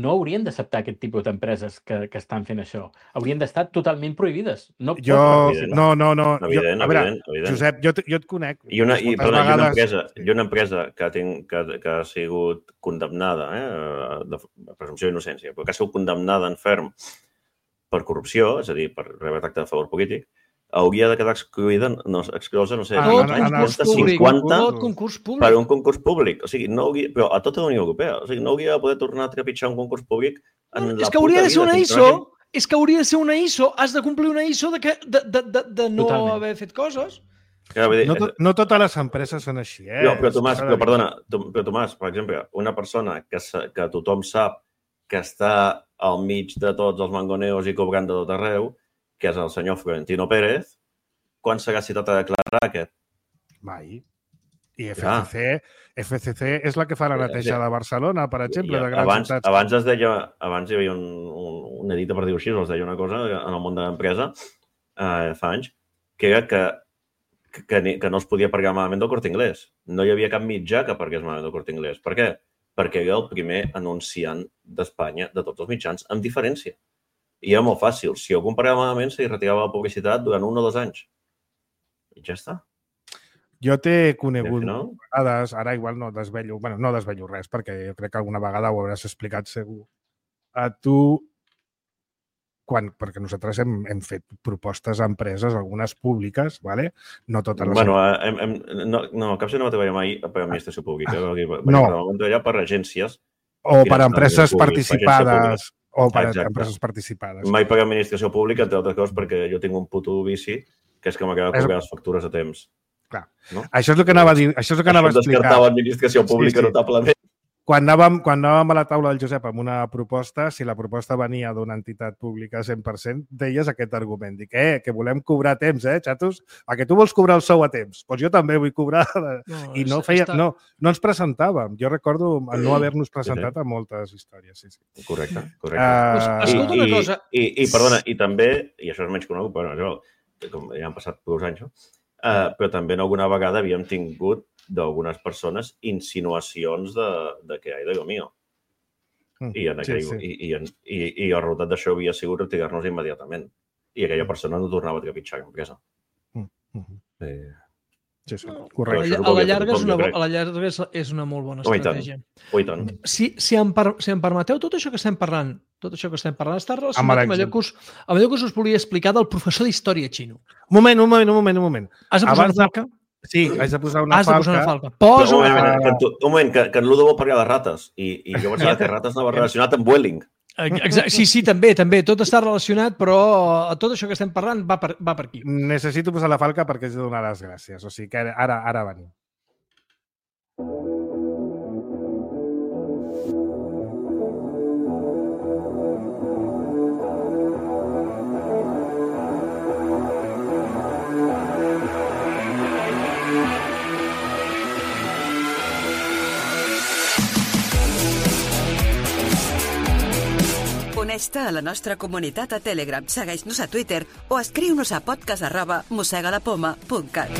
haurien d'acceptar aquest tipus d'empreses que estan fent això. Haurien d'estar totalment prohibides. No. A veure, Josep, jo et conec. I una empresa que ha sigut condemnada, de presumpció d'innocència, però que ha sigut condemnada en ferm per corrupció, és a dir, per rebre tracte de favor polític, hauria de quedar exclosa, no sé, 50 per un concurs públic. O sigui, però a tota la Unió Europea. O sigui, no hauria de poder tornar a trepitjar un concurs públic en la puta vida. És que hauria de ser una ISO. És que hauria de ser una ISO. Has de complir una ISO de no haver fet coses. No totes les empreses són així, Però Tomàs, per exemple, una persona que tothom sap que està al mig de tots els mangoneos i cobrant de tot arreu, que és el senyor Florentino Pérez, quan serà citat a declarar aquest? Mai. I FCC és la que fa la neteja de Barcelona, per exemple, de grans ciutats. Abans hi havia una dita, per dir-ho així, es deia una cosa en el món de l'empresa, fa anys, que era que no es podia pagar malament del Corte Inglés. No hi havia cap mitjà que pagués malament del Corte Inglés. Per què? Perquè era el primer anunciant d'Espanya de tots els mitjans, amb diferència. I era molt fàcil. Si algú pagava malament, se li retirava la publicitat durant 1 o 2 anys. I ja està. Jo t'he conegut vegades, ara igual no desvello res, perquè jo crec que alguna vegada ho hauràs explicat segur. A tu, perquè nosaltres hem fet propostes a empreses, algunes públiques, no totes les... No, Capsa no va treballar mai per administració pública. No. Va treballar per agències. O per empreses participades. Empreses participades. Mai per administració pública, entre altres coses, perquè jo tinc un puto vici, que és que m'acaba de cobrar les factures a temps. Clar. No? Això és el que anava a dir, això és el que anava a explicar. Descartava l'administració pública notablement. Quan anàvem a la taula del Josep amb una proposta, si la proposta venia d'una entitat pública 100%, deies aquest argument. Dic, que volem cobrar a temps, xatos? Que tu vols cobrar el sou a temps? Doncs jo també vull cobrar. I no ens presentàvem. Jo recordo no haver-nos presentat a moltes històries. Sí. Correcte. Escolta una cosa. I perdona, i també, i això és menys conegut, però com ja han passat prou anys, però també alguna vegada havíem tingut d'algunes persones insinuacions de que ai, Déu mío. I el resultat d'això havia sigut retirar-nos immediatament. I aquella persona no tornava a trepitjar l'empresa. Sí, correcte. A la llarga és una molt bona estratègia. I tant. Si em permeteu, tot això que estem parlant està relacionat amb allò que us volia explicar del professor d'història xino. Un moment. Has de posar una falca? Sí, haig de posar una falca. Posa una falca. Un moment, que en Ludo vol parlar de rates i jo pensava que rates anava relacionat amb Vueling. Sí, també. Tot està relacionat, però tot això que estem parlant va per aquí. Necessito posar la falca perquè haig de donar les gràcies. O sigui que ara venim. Uneix-te a la nostra comunitat a Telegram, segueix-nos a Twitter o escriu-nos a podcast@mossegalapoma.cat.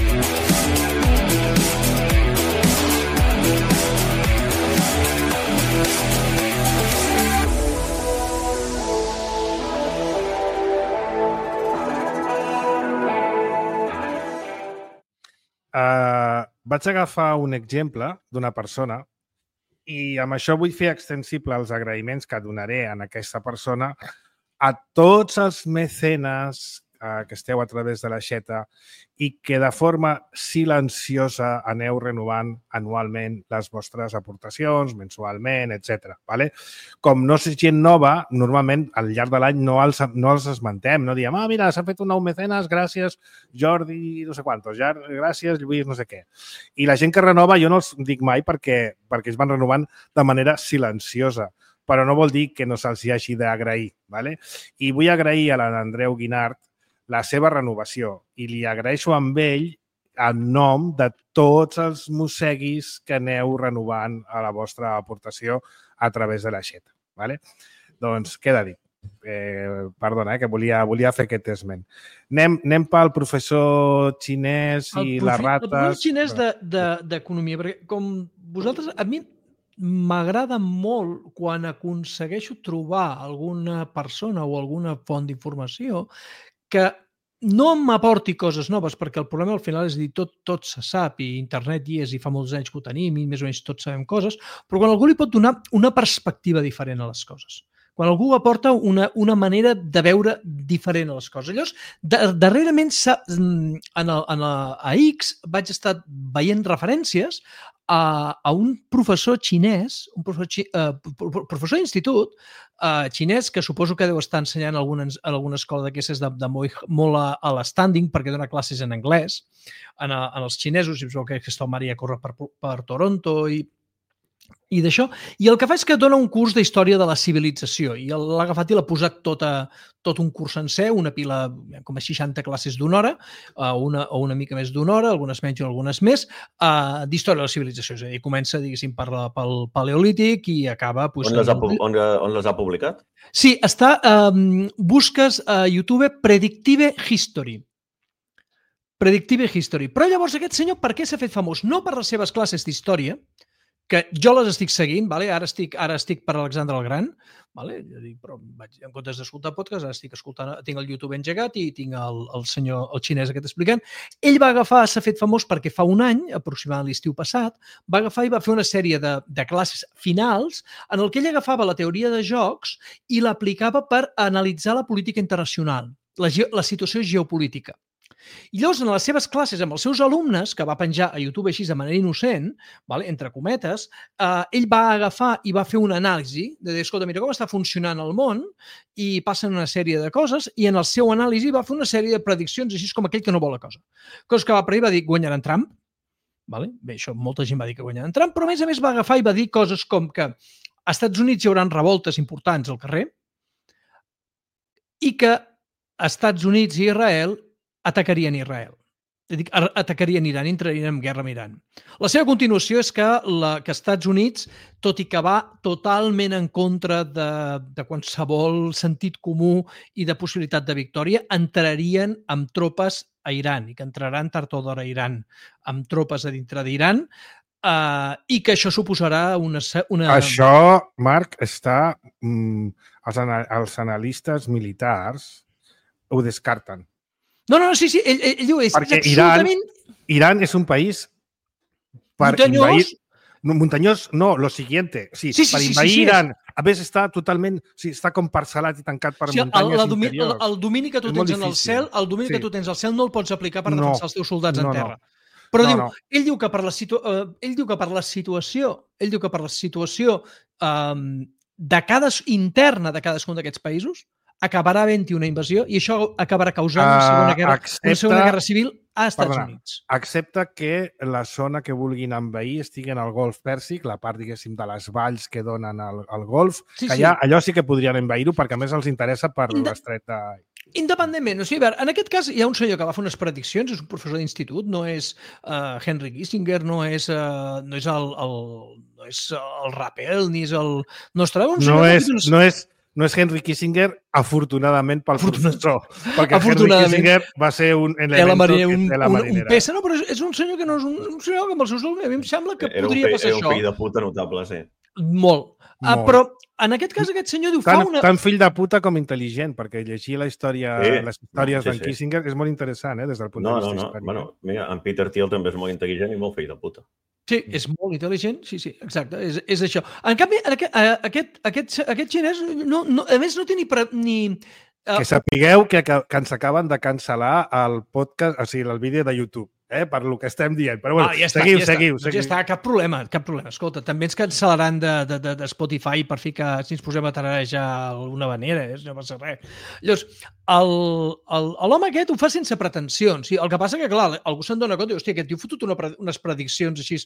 Vaig agafar un exemple d'una persona i amb això vull fer extensible els agraïments que donaré a aquesta persona a tots els mecenes que esteu a través de l'aixeta i que de forma silenciosa aneu renovant anualment les vostres aportacions, mensualment, etc. Vale? Com no és gent nova, normalment al llarg de l'any no els esmentem, no diem, mira, s'ha fet un nou mecenes, gràcies Jordi, no sé quantos, gràcies Lluís, no sé què. I la gent que renova jo no els dic mai perquè es van renovant de manera silenciosa, però no vol dir que no se'ls hagi d'agrair. Vale? I vull agrair a l'Andreu Guinart la seva renovació i li agraeixo amb ell en nom de tots els mosseguis que aneu renovant a la vostra aportació a través de l'aixeta. Vale? Doncs queda dit. Perdona, que volia fer aquest esment. Anem pel professor xinès i les rates. El professor xinès d'economia, perquè com vosaltres, a mi m'agrada molt quan aconsegueixo trobar alguna persona o alguna font d'informació que no m'aporti coses noves, perquè el problema al final és dir, tot se sap i internet hi és i fa molts anys que ho tenim i més o menys tots sabem coses, però quan algú li pot donar una perspectiva diferent a les coses, quan algú aporta una manera de veure diferent a les coses. Llavors, darrerament a X vaig estar veient referències a un professor xinès, un professor d'institut xinès, que suposo que deu estar ensenyant a alguna escola d'aquestes molt a l'standing, perquè dona classes en anglès en els xinesos, i que aquesta Maria corre per Toronto i d'això. I el que fa és que dona un curs d'història de la civilització i l'ha agafat i l'ha posat tot un curs sencer, una pila, com a 60 classes d'una hora, o una mica més d'una hora, algunes menys o algunes més, d'història de la civilització. És a dir, comença, diguéssim, pel Paleolític i acaba... On les ha publicat? Sí, busques a YouTube Predictive History. Predictive History. Però llavors aquest senyor per què s'ha fet famós? No per les seves classes d'història, que jo les estic seguint, vale? Ara estic per Alexandre el Gran, vale? Però en comptes d'escoltar podcast, ara estic escoltant, tinc el YouTube engegat i tinc el senyor, el xinès aquest explicant. Ell s'ha fet famós perquè fa un any, aproximadament l'estiu passat, va agafar i va fer una sèrie de classes finals en el que ell agafava la teoria de jocs i l'aplicava per analitzar la política internacional, la situació geopolítica. I llavors, en les seves classes, amb els seus alumnes, que va penjar a YouTube així de manera innocent, entre cometes, ell va agafar i va fer una anàlisi de dir, escolta, mira com està funcionant el món i passen una sèrie de coses i en el seu anàlisi va fer una sèrie de prediccions així com aquell que no vol la cosa. Cosa que va per ahir va dir, guanyaran Trump. Bé, això molta gent va dir que guanyaran Trump, però a més va agafar i va dir coses com que als Estats Units hi haurà revoltes importants al carrer i que als Estats Units i Israel atacarien Israel. Atacarien Iran, entrarien en guerra amb Iran. La seva continuació és que Estats Units, tot i que va totalment en contra de qualsevol sentit comú i de possibilitat de victòria, entrarien amb tropes a Iran i que entraran tard o d'hora a Iran amb tropes a dintre d'Iran i que això suposarà una... Això, Marc, està... Els analistes militars ho descarten. No, sí, ell diu és absolutament... Irán és un país per invadir... Muntanyós, no, lo siguiente. Sí, per invadir Irán. A més, està totalment... Està com parcel·lat i tancat per muntanyes interiors. El domini que tu tens en el cel, que tu tens al cel no el pots aplicar per defensar els teus soldats en terra. Però ell diu que per la situació interna de cadascun d'aquests països acabarà havent-hi una invasió i això acabarà causant una segona guerra civil a Estats Units. Excepte que la zona que vulguin envair estigui en el Golf Pèrsic, la part, diguéssim, de les valls que donen al Golf, que allò sí que podrien envair-ho perquè a més els interessa per l'estret de... Independentment. En aquest cas hi ha un senyor que va fer unes prediccions, és un professor d'institut, no és Henry Kissinger, no és el Rappel, ni és el Nostradamus. No és Henry Kissinger, afortunadament pel professor, perquè Henry Kissinger va ser un element de la marinera. Un peça, no, però és un senyor que no és un senyor que amb els seus alumnes, a mi em sembla que podria passar això. Era un fill de puta notable, sí. Molt. Però en aquest cas aquest senyor diu... Tant fill de puta com intel·ligent, perquè llegir les històries d'en Kissinger és molt interessant, des del punt de vista històric. No, mira, en Peter Thiel també és molt intel·ligent i molt fill de puta. Sí, és molt intel·ligent, sí, exacte, és això. En canvi, aquest xinès, a més, no té ni... Que sapigueu que ens acaben de cancel·lar el podcast, o sigui, el vídeo de YouTube, per lo que estem dient. Però bueno, seguiu. Ja està, cap problema. Escolta, també ens cancel·laran de Spotify per fi que si ens posem a tararejar d'alguna manera, no passa res. Llavors, l'home aquest ho fa sense pretensions. El que passa que, clar, algú se'n dona compte i, hòstia, aquest tio ha fotut unes prediccions així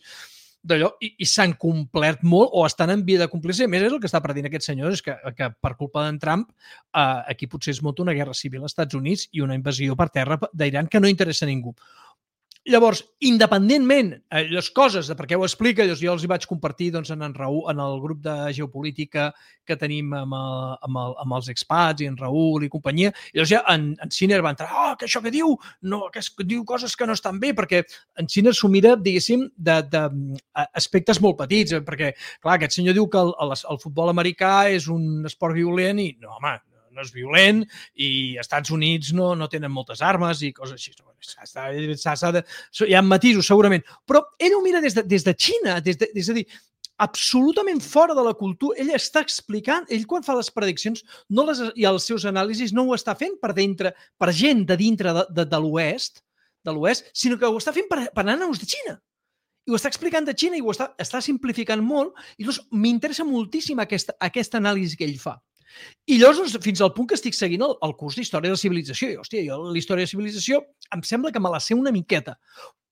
d'allò i s'han complert molt o estan en via de complir-se. A més, és el que està predient aquest senyor, és que per culpa d'en Trump aquí potser es munta una guerra civil als Estats Units i una invasió per terra d'Iran que no interessa a ningú. Llavors, independentment les coses de per què ho explica, jo els hi vaig compartir en Raül, en el grup de geopolítica que tenim amb els expats i en Raül i companyia, i llavors ja en Sinner va entrar, que això que diu, que diu coses que no estan bé, perquè en Sinner s'ho mira, diguéssim, d'aspectes molt petits, perquè, clar, aquest senyor diu que el futbol americà és un esport violent i, no, home, no és violent i als Estats Units no tenen moltes armes i coses així. Hi ha matisos, segurament. Però ell ho mira des de Xina, és a dir, absolutament fora de la cultura. Ell està explicant, ell quan fa les prediccions i els seus anàlisis no ho està fent per gent de dintre de l'oest, sinó que ho està fent per nanos de Xina. I ho està explicant de Xina i ho està simplificant molt i llavors m'interessa moltíssim aquesta anàlisi que ell fa. I llavors, fins al punt que estic seguint el curs d'Història de la Civilització. I, hòstia, jo l'Història de la Civilització em sembla que me la sé una miqueta.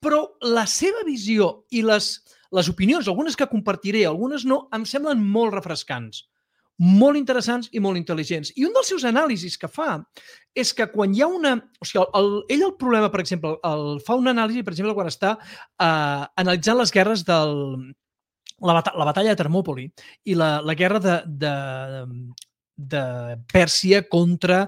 Però la seva visió i les opinions, algunes que compartiré, algunes no, em semblen molt refrescants, molt interessants i molt intel·ligents. I un dels seus anàlisis que fa és que quan hi ha una... O sigui, ell el problema, per exemple, fa una anàlisi, per exemple, quan està analitzant les guerres la batalla de Termòpoli i la guerra de Pèrsia contra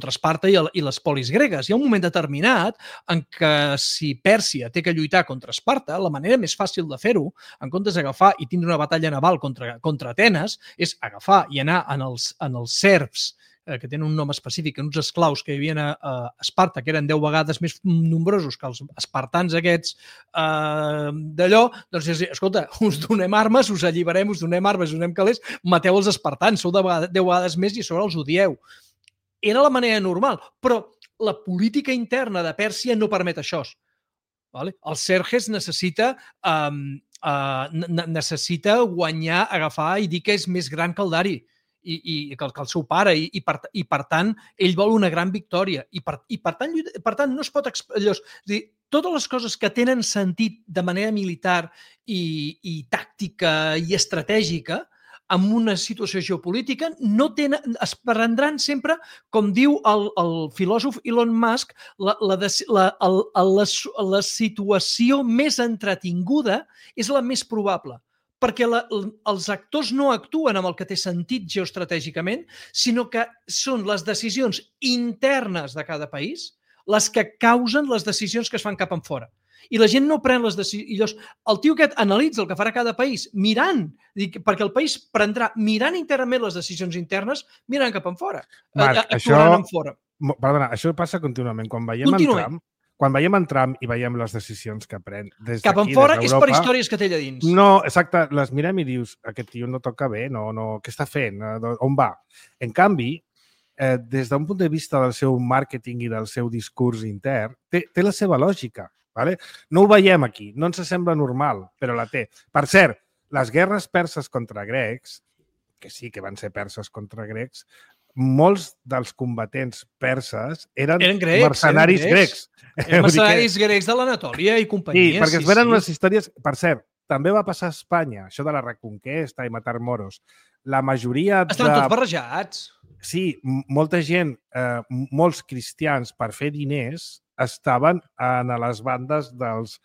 Esparta i les polis gregues. Hi ha un moment determinat en què si Pèrsia té que lluitar contra Esparta, la manera més fàcil de fer-ho, en comptes d'agafar i tindre una batalla naval contra Atenes, és agafar i anar en els serfs, que tenen un nom específic, uns esclaus que hi havia a Esparta, que eren 10 vegades més nombrosos que els espartans aquests d'allò, doncs és dir, escolta, us donem armes, us alliberem, us donem armes, us donem calés, mateu els espartans, sou 10 vegades més i a sobre els odieu. Era la manera normal, però la política interna de Pèrsia no permet això. Vale? El Xerxes necessita guanyar, agafar i dir que és més gran que el Dari i que el seu pare i per tant ell vol una gran victòria i per tant no es pot... Totes les coses que tenen sentit de manera militar i tàctica i estratègica en una situació geopolítica es prendran sempre, com diu el filòsof Elon Musk, la situació més entretinguda és la més probable, perquè els actors no actuen amb el que té sentit geoestratègicament, sinó que són les decisions internes de cada país les que causen les decisions que es fan cap enfora. I la gent no pren les decisions. El tio aquest analitza el que farà cada país mirant, perquè el país prendrà mirant internament les decisions internes, mirant cap enfora. Marc, perdona, això passa contínuament. Quan veiem en Trump i veiem les decisions que pren des d'aquí, cap enfora és per històries que té allà dins. No, exacte, les mirem i dius, aquest tio no toca bé, què està fent? On va? En canvi, des d'un punt de vista del seu màrqueting i del seu discurs intern, té la seva lògica. Vale? No ho veiem aquí, no ens sembla normal, però la té. Per cert, les guerres perses contra grecs, que sí que van ser perses contra grecs, molts dels combatents perses eren mercenaris grecs. Eren mercenaris grecs de l'Anatòlia i companyia. Sí, perquè es venen unes històries... Per cert, també va passar a Espanya, això de la reconquesta i matar moros. La majoria Estan tots barrejats. Sí, molta gent, molts cristians, per fer diners, estaven a les bandes dels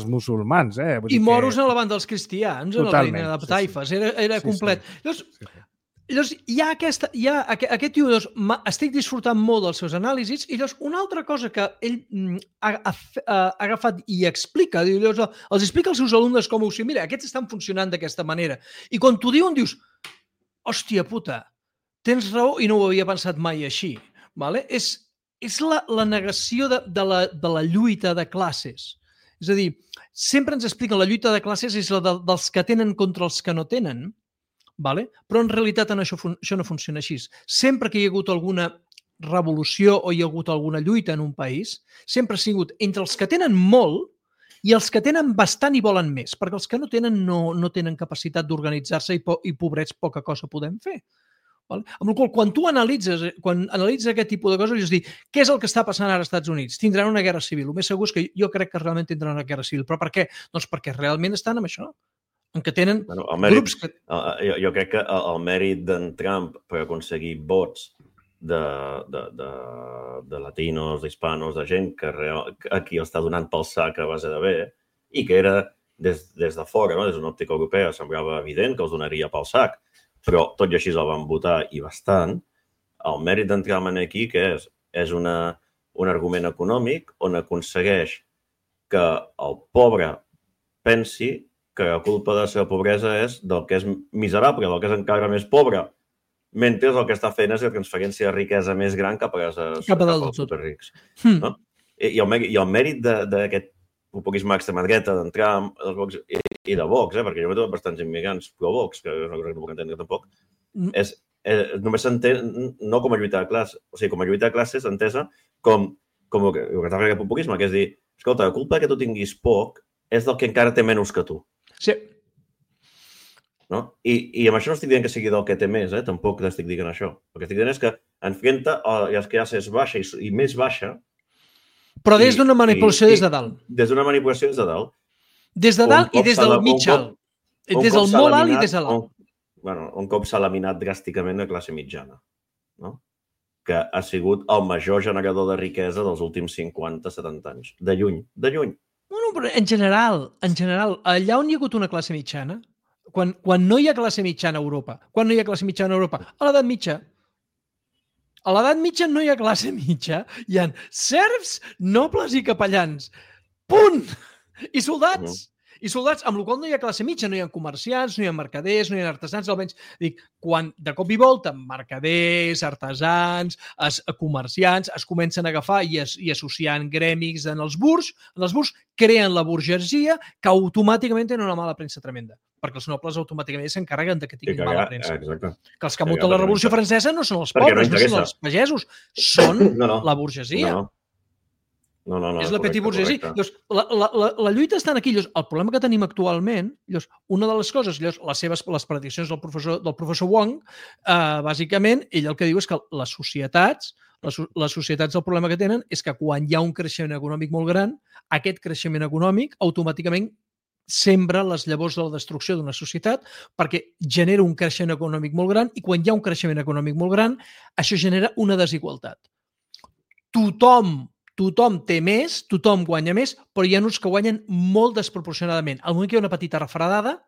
musulmans. I moros a la banda dels cristians, a la línia de taifes, era complet. Llavors, hi ha aquest tio, estic disfrutant molt dels seus anàlisis, i llavors una altra cosa que ell ha agafat i explica, els explica als seus alumnes com ho sé, mira, aquests estan funcionant d'aquesta manera. I quan t'ho diuen dius, hòstia puta, tens raó i no ho havia pensat mai així. És la negació de la lluita de classes. És a dir, sempre ens expliquen la lluita de classes és la dels que tenen contra els que no tenen, però en realitat això no funciona així. Sempre que hi ha hagut alguna revolució o hi ha hagut alguna lluita en un país, sempre ha sigut entre els que tenen molt i els que tenen bastant i volen més, perquè els que no tenen no tenen capacitat d'organitzar-se i pobrets poca cosa podem fer. Amb la qual cosa, quan tu analitzes aquest tipus de coses, dius, què és el que està passant ara als Estats Units? Tindran una guerra civil. El més segur és que jo crec que realment tindran una guerra civil. Però per què? Doncs perquè realment estan amb això. En què tenen grups que... Jo crec que el mèrit d'en Trump per aconseguir vots de latinos, d'hispanos, de gent que aquí està donant pel sac a base de bé i que era des de fora, des d'una òptica europea, semblava evident que els donaria pel sac. Però tot i així el van votar i bastant, el mèrit d'entrar aquí que és un argument econòmic on aconsegueix que el pobre pensi que la culpa de la seva pobresa és del que és miserable, del que és encara més pobre, mentre el que està fent és la transferència de riquesa més gran cap als superrics. I el mèrit d'aquest populisme extrema dreta d'entrar i de Vox, perquè jo he trobat bastants immigrants pro-Vox, que no crec que no puc entendre tampoc, només s'entén no com a lluita de classes, o sigui, com a lluita de classes entesa com el que està fent aquest populisme, que és dir, escolta, la culpa que tu tinguis poc és del que encara té menys que tu. Sí. I amb això no estic dient que sigui del que té més, tampoc estic dient això. El que estic dient és que enfrenta les classes baixa i més baixa. Però des d'una manipulació des de dalt. Des d'una manipulació des de dalt. Des de dalt i des del mig alt. Des del molt alt i des de l'alt. Un cop s'ha laminat dràsticament la classe mitjana, que ha sigut el major generador de riquesa dels últims 50-70 anys. De lluny. Bueno, però en general, allà on hi ha hagut una classe mitjana, quan no hi ha classe mitjana a Europa, a l'edat mitja. A l'edat mitja no hi ha classe mitja, hi ha serfs, nobles i capellans. Punt! I soldats. I soldats, amb la qual no hi ha classe mitja, no hi ha comerciants, no hi ha mercaders, no hi ha artesans, almenys, dic, quan de cop i volta mercaders, artesans, comerciants es comencen a agafar i associant grèmics en els burgs creen la burgesia que automàticament tenen una mala premsa tremenda, perquè els nobles automàticament s'encarreguen de que tinguin mala premsa. Que els que munten la Revolució Francesa no són els pobres, no són els pagesos, són la burgesia. No, és la petit burgesia. La lluita està aquí. El problema que tenim actualment, una de les coses, les prediccions del professor Wong, bàsicament, ell el que diu és que les societats el problema que tenen és que quan hi ha un creixement econòmic molt gran, aquest creixement econòmic automàticament sembra les llavors de la destrucció d'una societat perquè genera un creixement econòmic molt gran i quan hi ha un creixement econòmic molt gran, això genera una desigualtat. Tothom té més, tothom guanya més, però hi ha uns que guanyen molt desproporcionadament. Al moment que hi ha una petita refredada,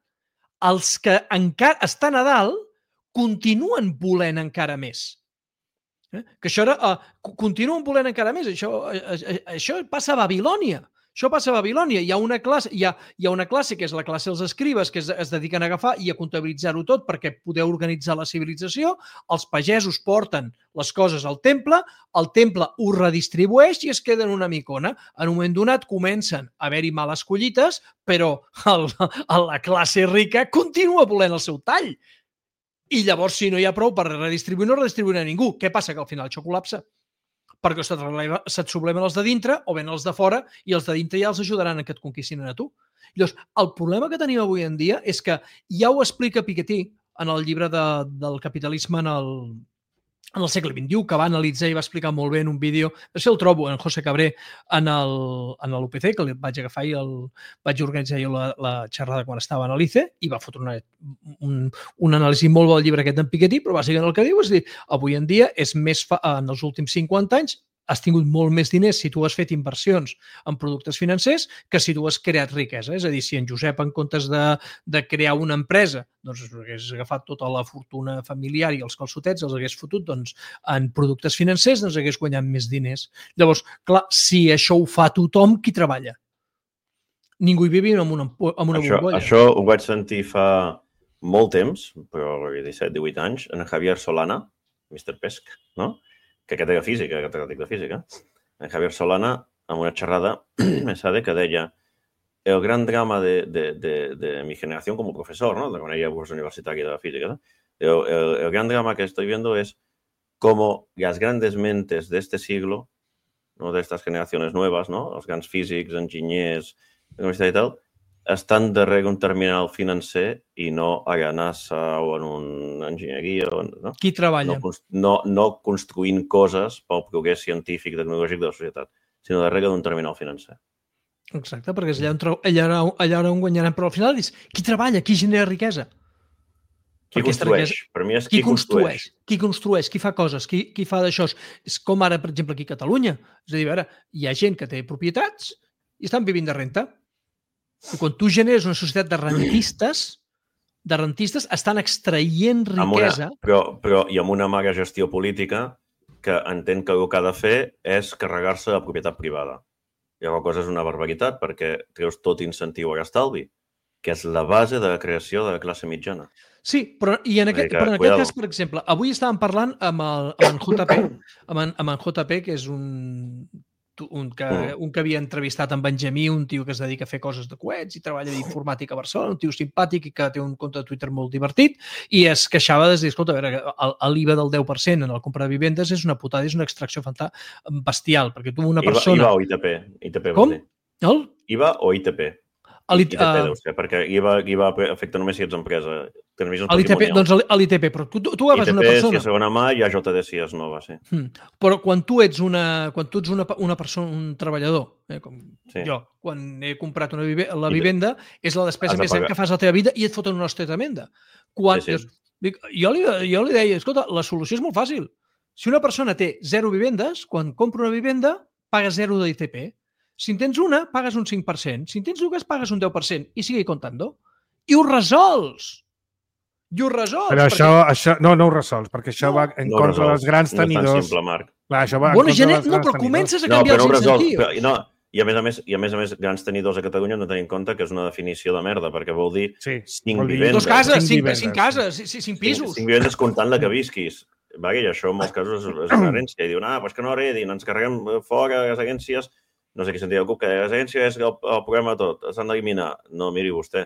els que encara estan a dalt continuen volent encara més. Que això ara continuen volent encara més. Això passa a Babilònia. Hi ha una classe que és la classe dels escribes que es dediquen a agafar i a comptabilitzar-ho tot perquè poder organitzar la civilització. Els pagesos porten les coses al temple, el temple ho redistribueix i es queden una micona. En un moment donat comencen a haver-hi males collites, però la classe rica continua volent el seu tall. I llavors, si no hi ha prou per redistribuir, no redistribuirà ningú. Què passa? Que al final això col·lapsa. Perquè se't sublemen els de dintre o ven els de fora i els de dintre ja els ajudaran a que et conquistin a tu. Llavors, el problema que tenim avui en dia és que ja ho explica Piketty en el llibre del capitalisme en el segle XXI, que va analitzar i va explicar molt bé en un vídeo, no sé, el trobo en José Cabré en l'UPC, que el vaig agafar i vaig organitzar jo la xerrada quan estava en l'ICE i va fotre un anàlisi molt bo del llibre aquest d'en Piketty, però bàsicament el que diu és dir, avui en dia és més en els últims 50 anys has tingut molt més diners si tu has fet inversions en productes financers que si tu has creat riquesa. És a dir, si en Josep, en comptes de crear una empresa, doncs hagués agafat tota la fortuna familiar i els calçotets, els hagués fotut en productes financers, doncs hagués guanyat més diners. Llavors, clar, si això ho fa tothom, qui treballa? Ningú hi vivim en una bombolla. Això ho vaig sentir fa molt temps, però 17-18 anys, en Javier Solana, Mr. Pesc, no? Que aquest era física, catedràtic de física. En Javier Solana, en una xerrada, que deia el gran drama de mi generación como profesor, ¿no? De cuando ella curso universitario de física, ¿no? El gran drama que estoy viendo es cómo las grandes mentes de este siglo, ¿no? De estas generaciones nuevas, ¿no? Los grandes físics, enginyers, universitat i tal, estan darrere un terminal financer i no a la NASA o en una enginyeria. No? Qui treballa? No construint coses pel progrés científic i tecnològic de la societat, sinó darrere d'un terminal financer. Exacte, perquè és allà on guanyaran. Però al final és qui treballa, qui genera riquesa. Qui construeix? Per mi és qui construeix. Qui construeix, qui fa coses, qui fa d'això. És com ara, per exemple, aquí a Catalunya. És a dir, a veure, hi ha gent que té propietats i estan vivint de renta. I quan tu generes una societat de rentistes estan extraient riquesa. Però i amb una mala gestió política que entén que el que ha de fer és carregar-se la propietat privada. I la cosa és una barbaritat perquè treus tot incentiu a l'estalvi, que és la base de la creació de la classe mitjana. Sí, però en aquest cas, per exemple, avui estàvem parlant amb en JP, que és un que havia entrevistat en Benjamí, un tio que es dedica a fer coses de coets i treballa d'informàtica a Barcelona, un tio simpàtic i que té un compte de Twitter molt divertit, i es queixava de dir, escolta, a veure, l'IVA del 10% en el compra de vivendes és una putada, és una extracció bestial, perquè tu una persona... IVA o ITP? Com? IVA o ITP? ITP deu ser, perquè IVA afecta només si ets empresa. Doncs l'ITP, però tu agafes una persona... ITP si és segona mà i AJD si és nova, sí. Però quan tu ets una persona, un treballador, com jo, quan he comprat la vivenda, és la despesa més gran que fas a la teva vida i et foten una hòstia tremenda. Jo li deia, escolta, la solució és molt fàcil. Si una persona té 0 vivendes, quan compra una vivenda, paga 0 d'ITP. Si en tens una, pagues un 5%. Si en tens dues, pagues un 10%. I sigue comptando. I ho resols! Però això no ho resols, perquè això va en contra dels grans tenidors. No és tan simple, Marc. Clar, això va en contra dels grans tenidors. Però comences a canviar els incentius. I a més a més, grans tenidors a Catalunya hem de tenir en compte que és una definició de merda, perquè vol dir 5 vivendes. 2 cases, 5 cases, 5 pisos. 5 vivendes comptant la que visquis. I això en molts casos és una herència. I diuen, pues que no heredin, ens carreguem fora les agències. No sé qui sentia algú que les agències és el problema de tot, s'han d'eliminar. No, miri vostè,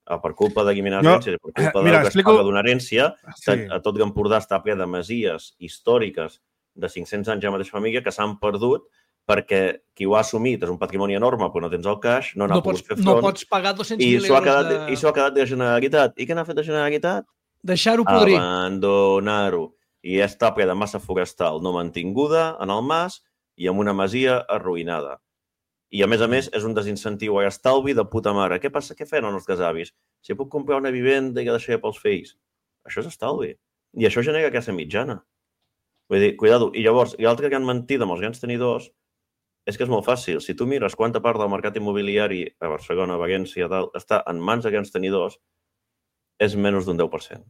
per culpa d'eliminar agències, per culpa de que es paga d'una herència, a tot Camprodà està ple de masies històriques de 500 anys de la mateixa família que s'han perdut perquè qui ho ha assumit és un patrimoni enorme, però no tens el caix, no n'ha pogut fer front. No pots pagar 200.000 euros I s'ho ha quedat de Generalitat. I què n'ha fet de Generalitat? Deixar-ho podrir. Abandonar-ho. I està ple de massa forestal no mantinguda en el mas i amb una masia arruïnada. I, a més, és un desincentiu a estalvi de puta mare. Què passa? Què feien els nostres avis? Si puc comprar una vivenda i la deixaré pels fills. Això és estalvi. I això genera classe mitjana. Vull dir, cuidado. I llavors, l'altra gran mentida amb els grans tenidors és que és molt fàcil. Si tu mires quanta part del mercat immobiliari a Barcelona, a València, està en mans de grans tenidors, és menys d'un 10%.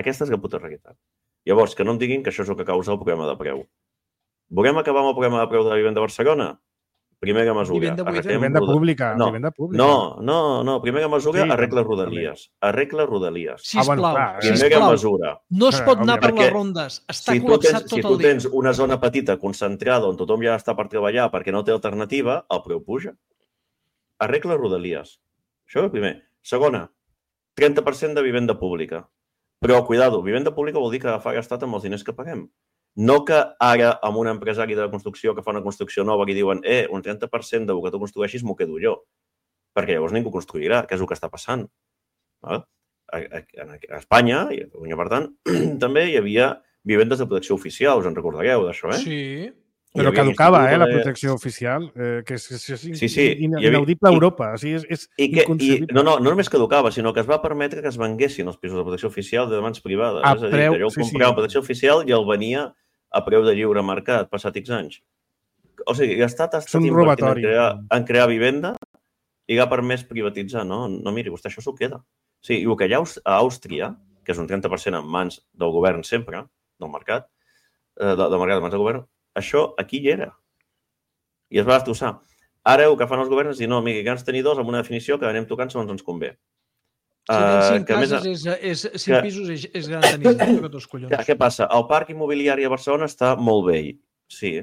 Aquesta és la puta realitat. Llavors, que no em diguin que això és el que causa el problema de preu. Volem acabar amb el problema de preu de la vivenda a Barcelona? Primera mesura. Vivenda pública. No. Primera mesura, arregla Rodalies. Arregla Rodalies. Sisplau. Primera mesura. No es pot anar per les rondes. Està col·lapsat tot el dia. Si tu tens una zona petita concentrada on tothom ja està per treballar perquè no té alternativa, el preu puja. Arregla Rodalies. Això és el primer. Segona, 30% de vivenda pública. Però, cuidado, vivenda pública vol dir que fa gastat amb els diners que paguem. No que ara, amb un empresari de construcció que fa una construcció nova que diuen un 30% del que tu construeixis m'ho quedo jo. Perquè llavors ningú construirà, que és el que està passant. A Espanya, i a Catalunya, per tant, també hi havia vivendes de protecció oficial, us en recordareu d'això, Sí. Però caducava, la protecció oficial, que és inaudible a Europa. És inconcebible. No només caducava, sinó que es va permetre que es venguessin els pisos de protecció oficial de mans privades. És a dir, que jo comprava protecció oficial i el venia a preu de lliure mercat, passat X anys. O sigui, l'Estat ha estat invertint en crear vivenda i ha permès privatitzar. No, miri, vostè això s'ho queda. Sí, i el que hi ha a Àustria, que és un 30% en mans del govern sempre, del mercat, en mans del govern, això aquí hi era. I es va destrossar. Ara el que fan els governs és dir, no, mira, grans tenidors amb una definició que anem tocant segons ens convé. Si tens 5 cases, 5 pisos és gran tenidor. Què passa? El parc immobiliari a Barcelona està molt vell. Sí.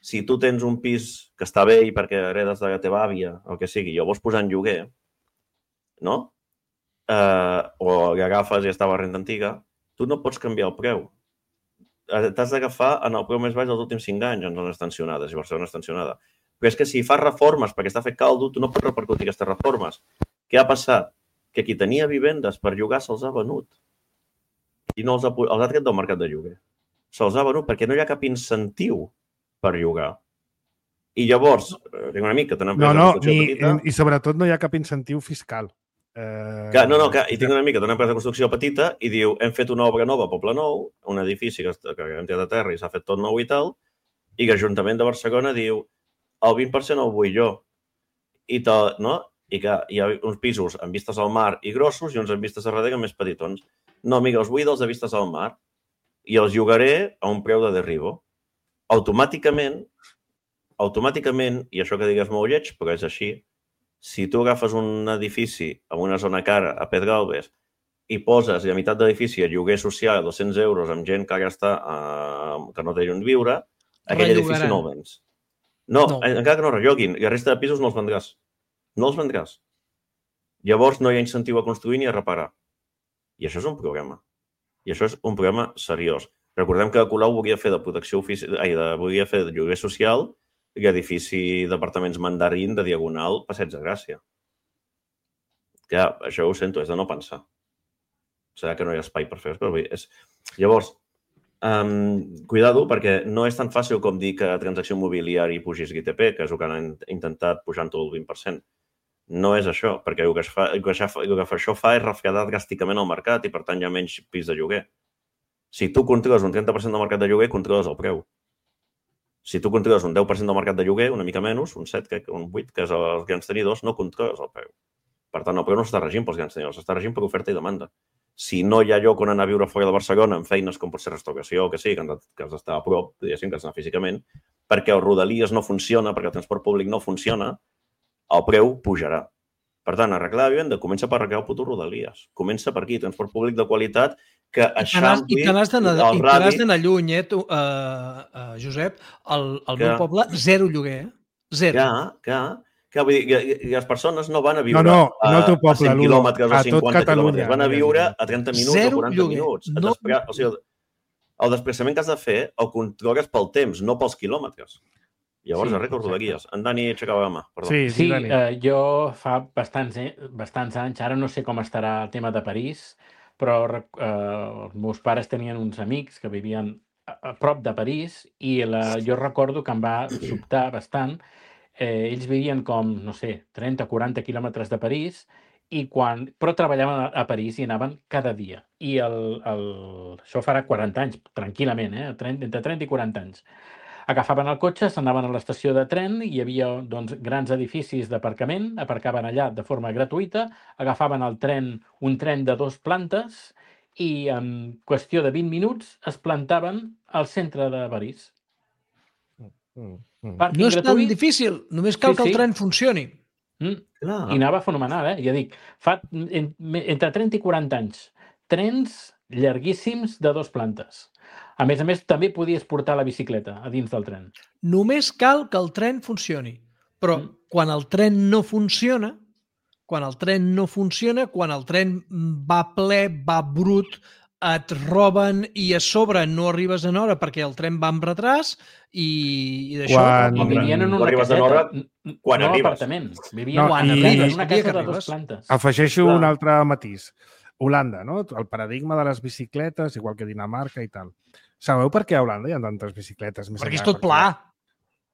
Si tu tens un pis que està vell perquè heredes de la teva àvia, el que sigui, i el vols posar en lloguer, no? O l'agafes i estava a renta antiga, tu no pots canviar el preu. T'has d'agafar en el preu més baix dels últims 5 anys en zones tensionades, i Barcelona és tensionada. Però és que si fas reformes perquè està fet caldo, tu no pots repercutir aquestes reformes. Què ha passat? Que qui tenia vivendes per llogar se'ls ha venut. I no els ha tret del mercat de lloguer. Se'ls ha venut perquè no hi ha cap incentiu per llogar. I llavors, tinc un amic que té una empresa de construcció petita... I sobretot no hi ha cap incentiu fiscal. I tinc un amic que té una empresa de construcció petita i diu, hem fet una obra nova a Poble Nou, un edifici que hem tirat a terra i s'ha fet tot nou i tal, i que l'Ajuntament de Barcelona diu, el 20% el vull jo. I que hi ha uns pisos amb vistes al mar i grossos i uns amb vistes a darrere més petitons. No, amiga, els vull dels de vistes al mar i els llogaré a un preu de derribo. Automàticament, i això que digues molt lleig, però és així, si tu agafes un edifici en una zona cara a Pedralbes i poses a meitat de l'edifici a lloguer social a 200 euros amb gent que ara està que no té on viure, aquell edifici no el vens. No, encara que no relloguin, i la resta de pisos no els vendràs. No els vendràs. Llavors no hi ha incentiu a construir ni a reparar. I això és un problema. I això és un problema seriós. Recordem que Colau volia fer de protecció volia fer de lloguer social i edifici d'apartaments Mandarín de Diagonal Passeig de Gràcia. Que això ho sento, és de no pensar. Serà que no hi ha espai per fer-ho, però és... Llavors, cuidado, perquè no és tan fàcil com dir que a transacció immobiliària pugis l'ITP, que és el que han intentat pujant tot el 20%. No és això, perquè el que això fa és refredar dràsticament el mercat i, per tant, hi ha menys pis de lloguer. Si tu controles un 30% del mercat de lloguer, controles el preu. Si tu controles un 10% del mercat de lloguer, una mica menys, un 7, un 8, que és els grans tenidors, no controles el preu. Per tant, el preu no s'està regint pels grans tenidors, s'està regint per oferta i demanda. Si no hi ha lloc on anar a viure fora de Barcelona amb feines com pot ser restauració o que sí, que has d'estar a prop, diguéssim, que has d'anar físicament, perquè el Rodalies no funciona, perquè el transport públic no funciona, el preu pujarà. Per tant, arreglar la vivenda comença per arreglar el puto Rodalies. Comença per aquí, transport públic de qualitat que eixampli el radi. I te n'has d'anar lluny, Josep. El meu poble, zero lloguer. Zero. Vull dir, i les persones no van a viure a 100 quilòmetres o 50 quilòmetres. Van a viure a 30 minuts o 40 minuts. O sigui, el desplaçament que has de fer el controles pel temps, no pels quilòmetres. Llavors, arregla Rodalies. En Dani aixecava la mà. Sí, jo fa bastants anys, ara no sé com estarà el tema de París, però els meus pares tenien uns amics que vivien a prop de París i jo recordo que em va sobtar bastant. Ells vivien com, no sé, 30 o 40 quilòmetres de París, però treballaven a París i anaven cada dia. I això farà 40 anys, tranquil·lament, entre 30 i 40 anys. Agafaven el cotxe, s'anaven a l'estació de tren, hi havia grans edificis d'aparcament, aparcaven allà de forma gratuïta, agafaven un tren de 2 plantes i en qüestió de 20 minuts es plantaven al centre de París. No és tan difícil, només cal que el tren funcioni. I anava fenomenal, ja dic, fa entre 30 i 40 anys, trens llarguíssims de 2 plantes. A més, també podies portar la bicicleta a dins del tren. Només cal que el tren funcioni. Però quan el tren no funciona, quan el tren va ple, va brut, et roben i a sobre no arribes en hora perquè el tren va amb retras i d'això... I vivien en una caseta, no en apartament. Vivien en una casa de 2 plantes. Afegeixo un altre matís. Holanda, no? El paradigma de les bicicletes, igual que Dinamarca i tal. Sabeu per què a Holanda hi ha tantes bicicletes? Perquè és tot pla.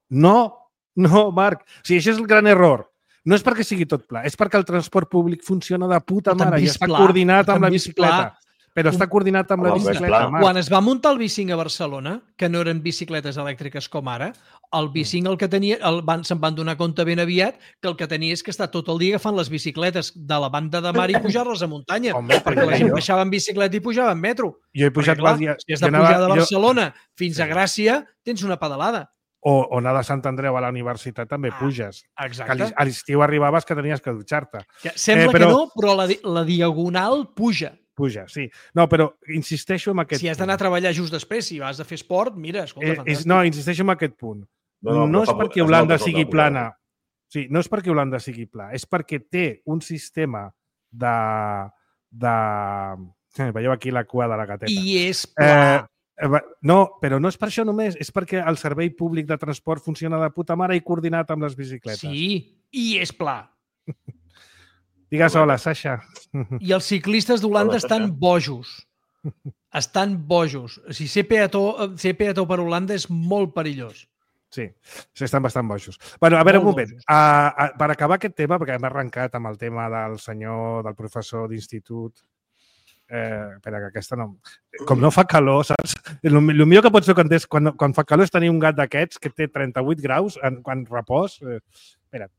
No, Marc. O sigui, això és el gran error. No és perquè sigui tot pla, és perquè el transport públic funciona de puta mare i està coordinat amb la bicicleta. Però està coordinat amb la bicicleta. Quan es va muntar el B5 a Barcelona, que no eren bicicletes elèctriques com ara, el B5 el que tenia, se'n van donar compte ben aviat que el que tenia és que està tot el dia agafant les bicicletes de la banda de mar i pujar-les a muntanya. Perquè la gent baixava en bicicleta i pujava en metro. Jo he pujat... Si has de pujar de Barcelona fins a Gràcia, tens una pedalada. O anar de Sant Andreu a la universitat també puges. Exacte. A l'estiu arribaves que tenies que dutxar-te. Sembla que no, però la diagonal puja. Puja, sí. No, però insisteixo en aquest punt. Si has d'anar a treballar just després, si vas a fer esport, mira, escolta, fantàstic. No, insisteixo en aquest punt. No és perquè Holanda sigui plana. Sí, no és perquè Holanda sigui pla, és perquè té un sistema de... Veieu aquí la cua de la gateta. I és pla. No, però no és per això només, és perquè el servei públic de transport funciona de puta mare i coordinat amb les bicicletes. Sí, i és pla. Digues hola, Sasha. I els ciclistes d'Holanda estan bojos. Estan bojos. O sigui, ser peató per Holanda és molt perillós. Sí, estan bastant bojos. Bueno, a veure, un moment. Per acabar aquest tema, perquè hem arrencat amb el tema del senyor, del professor d'institut... Espera, que aquesta no... Com no fa calor, saps? El millor que pots fer quan fa calor és tenir un gat d'aquests que té 38 graus quan repòs. Espera't.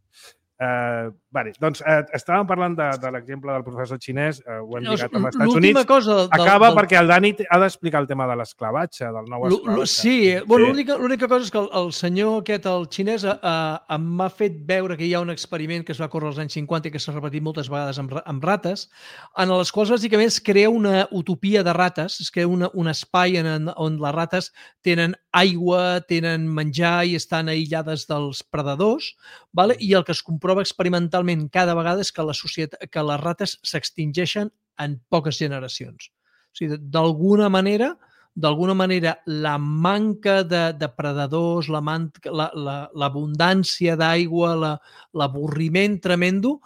Vale, doncs estàvem parlant de l'exemple del professor xinès, ho hem lligat amb els Estats Units. Acaba perquè el Dani ha d'explicar el tema de l'esclavatge, del nou esclavatge. Sí, l'única cosa és que el senyor aquest, el xinès, m'ha fet veure que hi ha un experiment que es va córrer als anys 50 i que s'ha repetit moltes vegades amb rates, en les quals bàsicament es crea una utopia de rates, es crea un espai on les rates tenen aigua, tenen menjar i estan aïllades dels predadors, i el que es comprova experimentalment cada vegada és que les rates s'extingeixen en poques generacions. O sigui, d'alguna manera, la manca de predadors, l'abundància d'aigua, l'avorriment tremendo,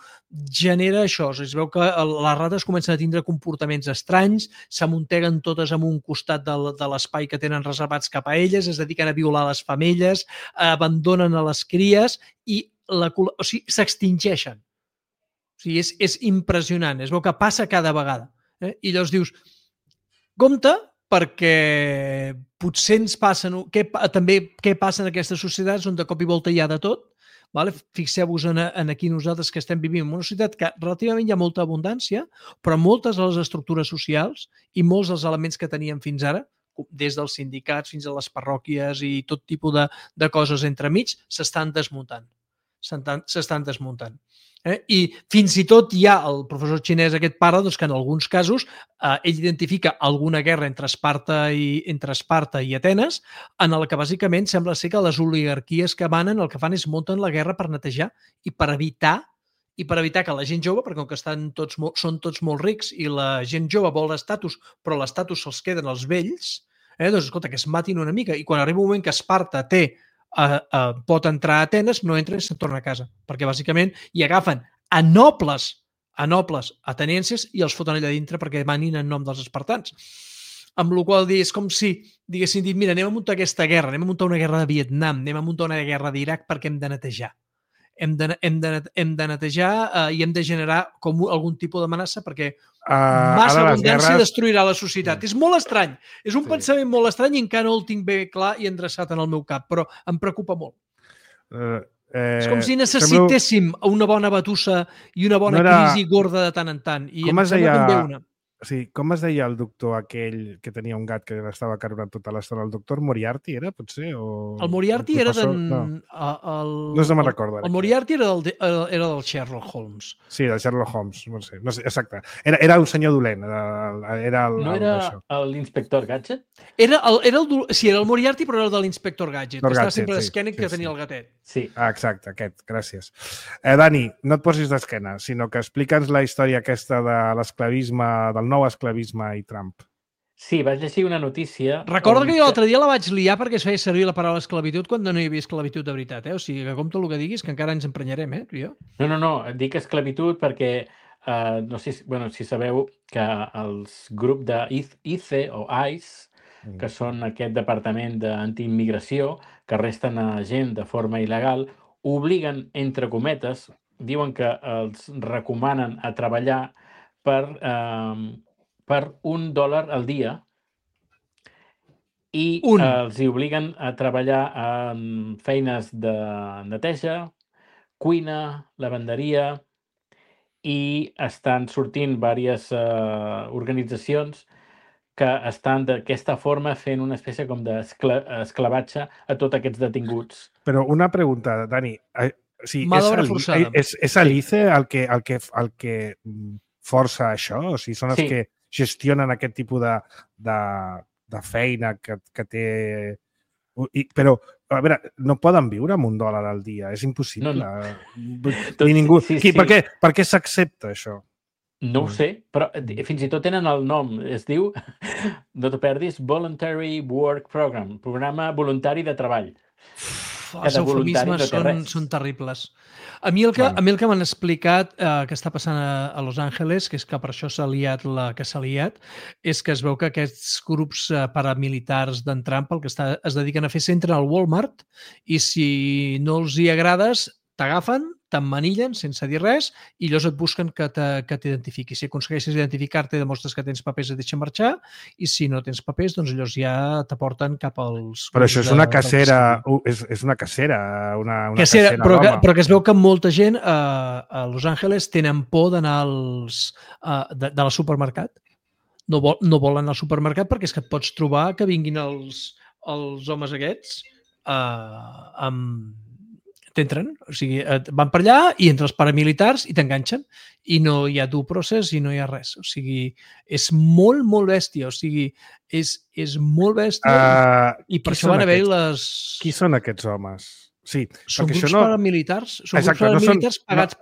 genera això. Es veu que les rates comencen a tindre comportaments estranys, s'amunteguen totes en un costat de l'espai que tenen reservats cap a elles, es dediquen a violar les femelles, abandonen a les cries i s'extingeixen. O sigui, és impressionant. Es veu que passa cada vegada. I llavors dius, compte, perquè potser ens passen... També què passa en aquestes societats on de cop i volta hi ha de tot? Fixeu-vos en aquí nosaltres que estem vivint en una societat que relativament hi ha molta abundància, però moltes de les estructures socials i molts dels elements que teníem fins ara des dels sindicats fins a les parròquies i tot tipus de coses entremig, s'estan desmuntant. I fins i tot hi ha el professor xinès aquest pare que en alguns casos ell identifica alguna guerra entre Esparta i Atenes, en el que bàsicament sembla ser que les oligarquies que manen el que fan és munten la guerra per netejar i per evitar que la gent jove, perquè com que són tots molt rics i la gent jove vol l'estatus, però l'estatus se'ls queden els vells, doncs escolta, que es matin una mica. I quan arriba un moment que Esparta pot entrar a Atenes, no entra i se'n torna a casa. Perquè bàsicament hi agafen a nobles atenienses i els foten allà dintre perquè manin en nom dels espartans. Amb la qual cosa és com si diguessin dit, mira, anem a muntar aquesta guerra, anem a muntar una guerra de Vietnam, anem a muntar una guerra d'Iraq perquè hem de netejar. Hem de netejar i hem de generar com algun tipus d'amenaça perquè massa abundància destruirà la societat. És molt estrany. És un pensament molt estrany i encara no el tinc bé clar i endreçat en el meu cap, però em preocupa molt. És com si necessitéssim una bona batussa i una bona crisi gorda de tant en tant. I em sembla que en ve una. Sí, com es deia el doctor aquell que tenia un gat que l'estava carregant tota l'estona? El doctor Moriarty era, potser? El Moriarty era d'en... No se'n recorda. El Moriarty era del Sherlock Holmes. Sí, del Sherlock Holmes, no sé, exacte. Era un senyor dolent. No era l'inspector Gadget? Era el Moriarty, però era el de l'inspector Gadget. Estava sempre d'esquena que tenia el gatet. Sí. Exacte, aquest, gràcies. Dani, no et posis d'esquena, sinó que explica'ns la història aquesta de l'esclavisme, del nou esclavisme i Trump. Sí, vaig llegir una notícia... Recorda que jo l'altre dia la vaig liar perquè es feia servir la paraula esclavitud quan no hi havia esclavitud de veritat, O sigui, que compta el que diguis, que encara ens emprenyarem, tu i jo. No, dic esclavitud perquè no sé si sabeu que els grups de ICE o ICE, que són aquest departament d'antiimmigració, que arresten a gent de forma il·legal, obliguen, entre cometes, diuen que els recomanen a treballar per $1 al dia i els obliguen a treballar en feines de neteja, cuina, lavanderia i estan sortint diverses organitzacions que estan d'aquesta forma fent una espècie com d'esclavatge a tots aquests detinguts. Però una pregunta, Dani. És l'ICE el que força això? O sigui, són els que gestionen aquest tipus de feina que té... Però, a veure, no poden viure amb $1 al dia. És impossible. Ningú... Per què s'accepta això? No ho sé, però fins i tot tenen el nom. Es diu, no t'ho perdis, Voluntary Work Program, programa voluntari de treball. Els eufemismes són terribles. A mi el que m'han explicat que està passant a Los Angeles, que és que per això s'ha liat la que s'ha liat, és que es veu que aquests grups paramilitars d'en Trump el que es dediquen a fer s'entren al Walmart i si no els hi agrades, t'agafen, t'emmanillen sense dir res i llavors et busquen que t'identifiquis. Si aconsegueixes identificar-te, demostres que tens papers i et deixen marxar i si no tens papers, doncs llavors ja t'aporten cap als... Però això és una cacera, és una cacera, una cacera però que es veu que molta gent a Los Angeles tenen por d'anar al supermercat. No volen anar al supermercat perquè és que et pots trobar que vinguin els homes aquests amb... T'entren, o sigui, van per allà i entre els paramilitars i t'enganxen i no hi ha due process i no hi ha res. O sigui, és molt, molt bèstia. O sigui, és molt bèstia i per això van haver-hi les... Qui són aquests homes? Sí, són grups paramilitars. Són grups paramilitars pagats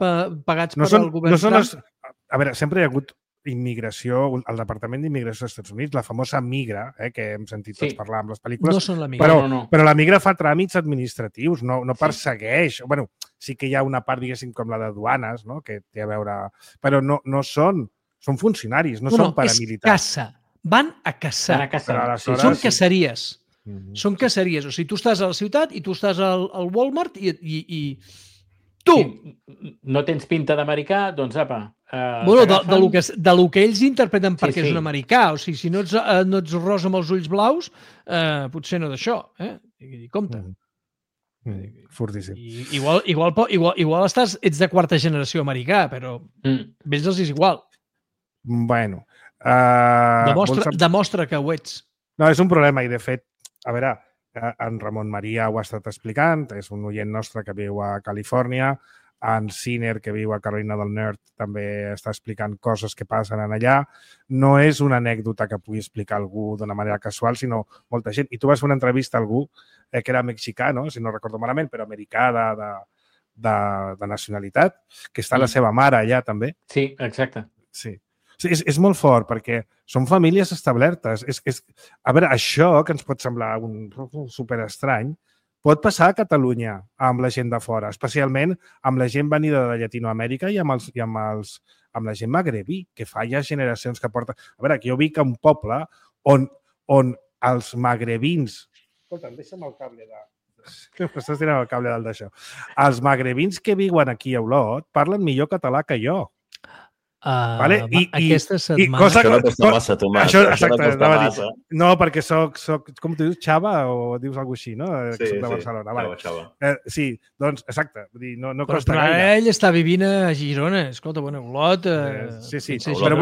per al govern. A veure, sempre hi ha hagut immigració, el Departament d'Immigració dels Estats Units, la famosa Migra, que hem sentit tots parlar amb les pel·lícules. No són la Migra. Però la Migra fa tràmits administratius, no persegueix. Bueno, sí que hi ha una part, diguéssim, com la de duanes, no? Que té a veure... Però no són funcionaris, no són paramilitars. És caça. Van a caçar. Són caceries. Són caceries. O sigui, tu estàs a la ciutat i tu estàs al Walmart i tu! No tens pinta d'americà, doncs apa... Bueno, de lo que ells interpreten perquè és un americà. O sigui, si no ets rosa amb els ulls blaus, potser no d'això. Compte. Fortíssim. Igual ets de quarta generació americà, però ells els és igual. Bueno. Demostra que ho ets. No, és un problema i, de fet, a veure, en Ramon Maria ho ha estat explicant, és un oient nostre que viu a Califòrnia, en Sinner, que viu a Carolina del Nord, també està explicant coses que passen allà. No és una anècdota que pugui explicar algú d'una manera casual, sinó molta gent. I tu vas fer una entrevista a algú que era mexicà, no? Si no recordo malament, però americà de nacionalitat, que està la seva mare allà també. Sí, exacte. Sí. És molt fort perquè són famílies establertes. A veure, això que ens pot semblar un superestrany, pot passar a Catalunya amb la gent de fora, especialment amb la gent venida de Llatinoamèrica i amb la gent magrebí, que fa ja generacions que porta... A veure, que jo vic a un poble on els magrebins... Escolta'm, deixa'm el cable de... Estàs tirant el cable del d'això. Els magrebins que viuen aquí a Olot parlen millor català que jo. Vale? Aquesta setmana... Això no costa massa, Tomàs. Això no costa massa. No, perquè soc... Com tu dius, Xava o dius alguna així, no? Sí, soc de Barcelona. Vale. Xava. Sí, doncs, exacte. Vull dir, no però costa gaire. Ell està vivint a Girona. Escolta, bueno, Olot... Sí. Però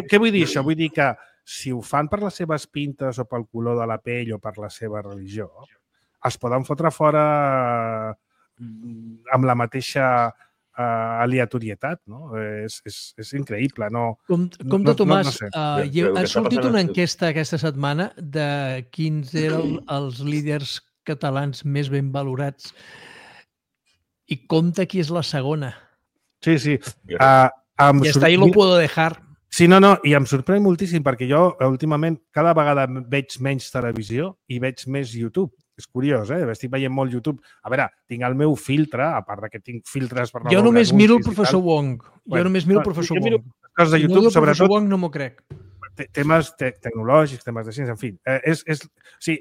què vull dir això? Vull dir que si ho fan per les seves pintes o pel color de la pell o per la seva religió, es poden fotre fora amb la mateixa aleatorietat, no? És increïble, no? Compte, Tomàs, no sé. Ha sortit una enquesta aquesta setmana de quins eren els líders catalans més ben valorats i compte qui és la segona. Sí. I hasta ahí lo puedo dejar. Sí, no, i em sorprèn moltíssim perquè jo últimament cada vegada veig menys televisió i veig més YouTube. És curiós, estic veient molt YouTube. A veure, tinc el meu filtre, a part que tinc filtres per no jo només miro el professor Wong. Jo només miro el professor Wong. Coses de YouTube, sobretot... professor Wong no m'ho crec. Temes tecnològics, temes de ciència, en fi. Sí,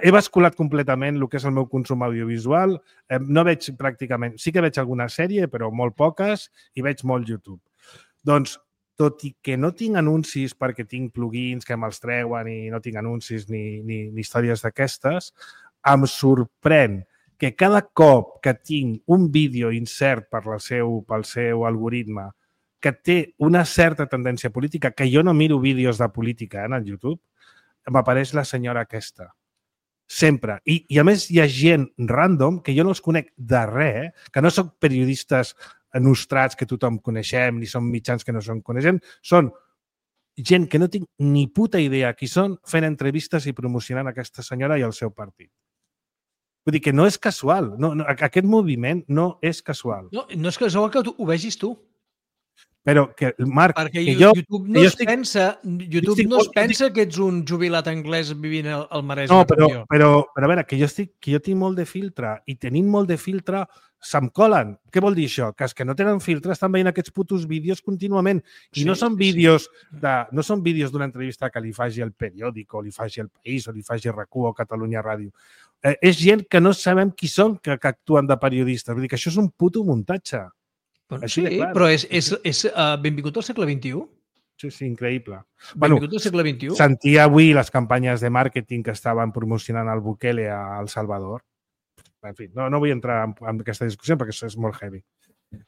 he basculat completament el que és el meu consum audiovisual. No veig pràcticament... Sí que veig alguna sèrie, però molt poques, i veig molt YouTube. Doncs, tot i que no tinc anuncis perquè tinc plugins que me'ls treuen i no tinc anuncis ni històries d'aquestes, em sorprèn que cada cop que tinc un vídeo insert pel seu algoritme que té una certa tendència política, que jo no miro vídeos de política en el YouTube, m'apareix la senyora aquesta. Sempre. I a més hi ha gent random que jo no els conec de res, que no soc periodistes nostrats que tothom coneixem, ni són mitjans que no són coneixem, són gent que no tinc ni puta idea qui són fent entrevistes i promocionant aquesta senyora i el seu partit. Vull dir que no és casual. Aquest moviment no és casual. No és casual que ho vegis tu. Però, Marc... Perquè YouTube no es pensa que ets un jubilat anglès vivint al Maresme. No, però a veure, que jo tinc molt de filtre i tenint molt de filtre se'm colen. Què vol dir això? Que els que no tenen filtre estan veient aquests putos vídeos contínuament. I no són vídeos d'una entrevista que li faci el Periòdico, o li faci el País, o li faci RAC1 o Catalunya Ràdio. És gent que no sabem qui són que actuen de periodistes. Vull dir que això és un puto muntatge. Sí, però és benvingut al segle XXI. Sí, increïble. Benvingut al segle XXI. Sentia avui les campanyes de màrqueting que estaven promocionant el Bukele a El Salvador. En fi, no vull entrar en aquesta discussió perquè això és molt heavy.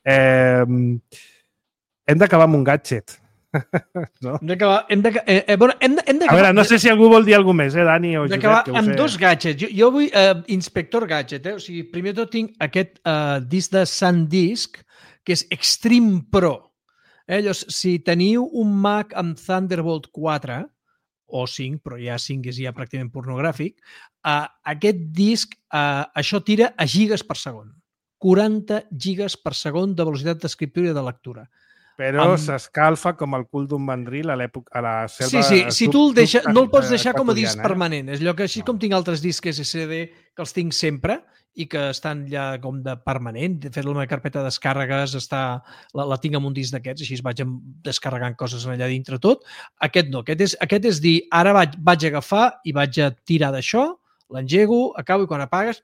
Hem d'acabar amb un gadget. No? Hem d'acabar... A veure, no sé si algú vol dir alguna cosa més, Dani o Josep. D'acabar amb dos gadgets. Jo vull Inspector Gadget. O sigui, primer tot tinc aquest disc de SanDisk, que és Extreme Pro. Llavors, si teniu un Mac amb Thunderbolt 4, o 5, però ja 5 és ja pràcticament pornogràfic, aquest disc, això tira a gigas per segon. 40 gigas per segon de velocitat d'escriptura i de lectura. Però s'escalfa com el cul d'un mandril a la selva... Sí, si tu no el pots deixar com a disc permanent. És allò que així com tinc altres discs SSD que els tinc sempre i que estan ja com de permanent. De fet, la meva carpeta de descàrregues la tinc amb un disc d'aquests, així vaig descarregant coses allà dintre tot. Aquest no, aquest és dir, ara vaig agafar i vaig a tirar d'això, l'engego, acabo i quan apagues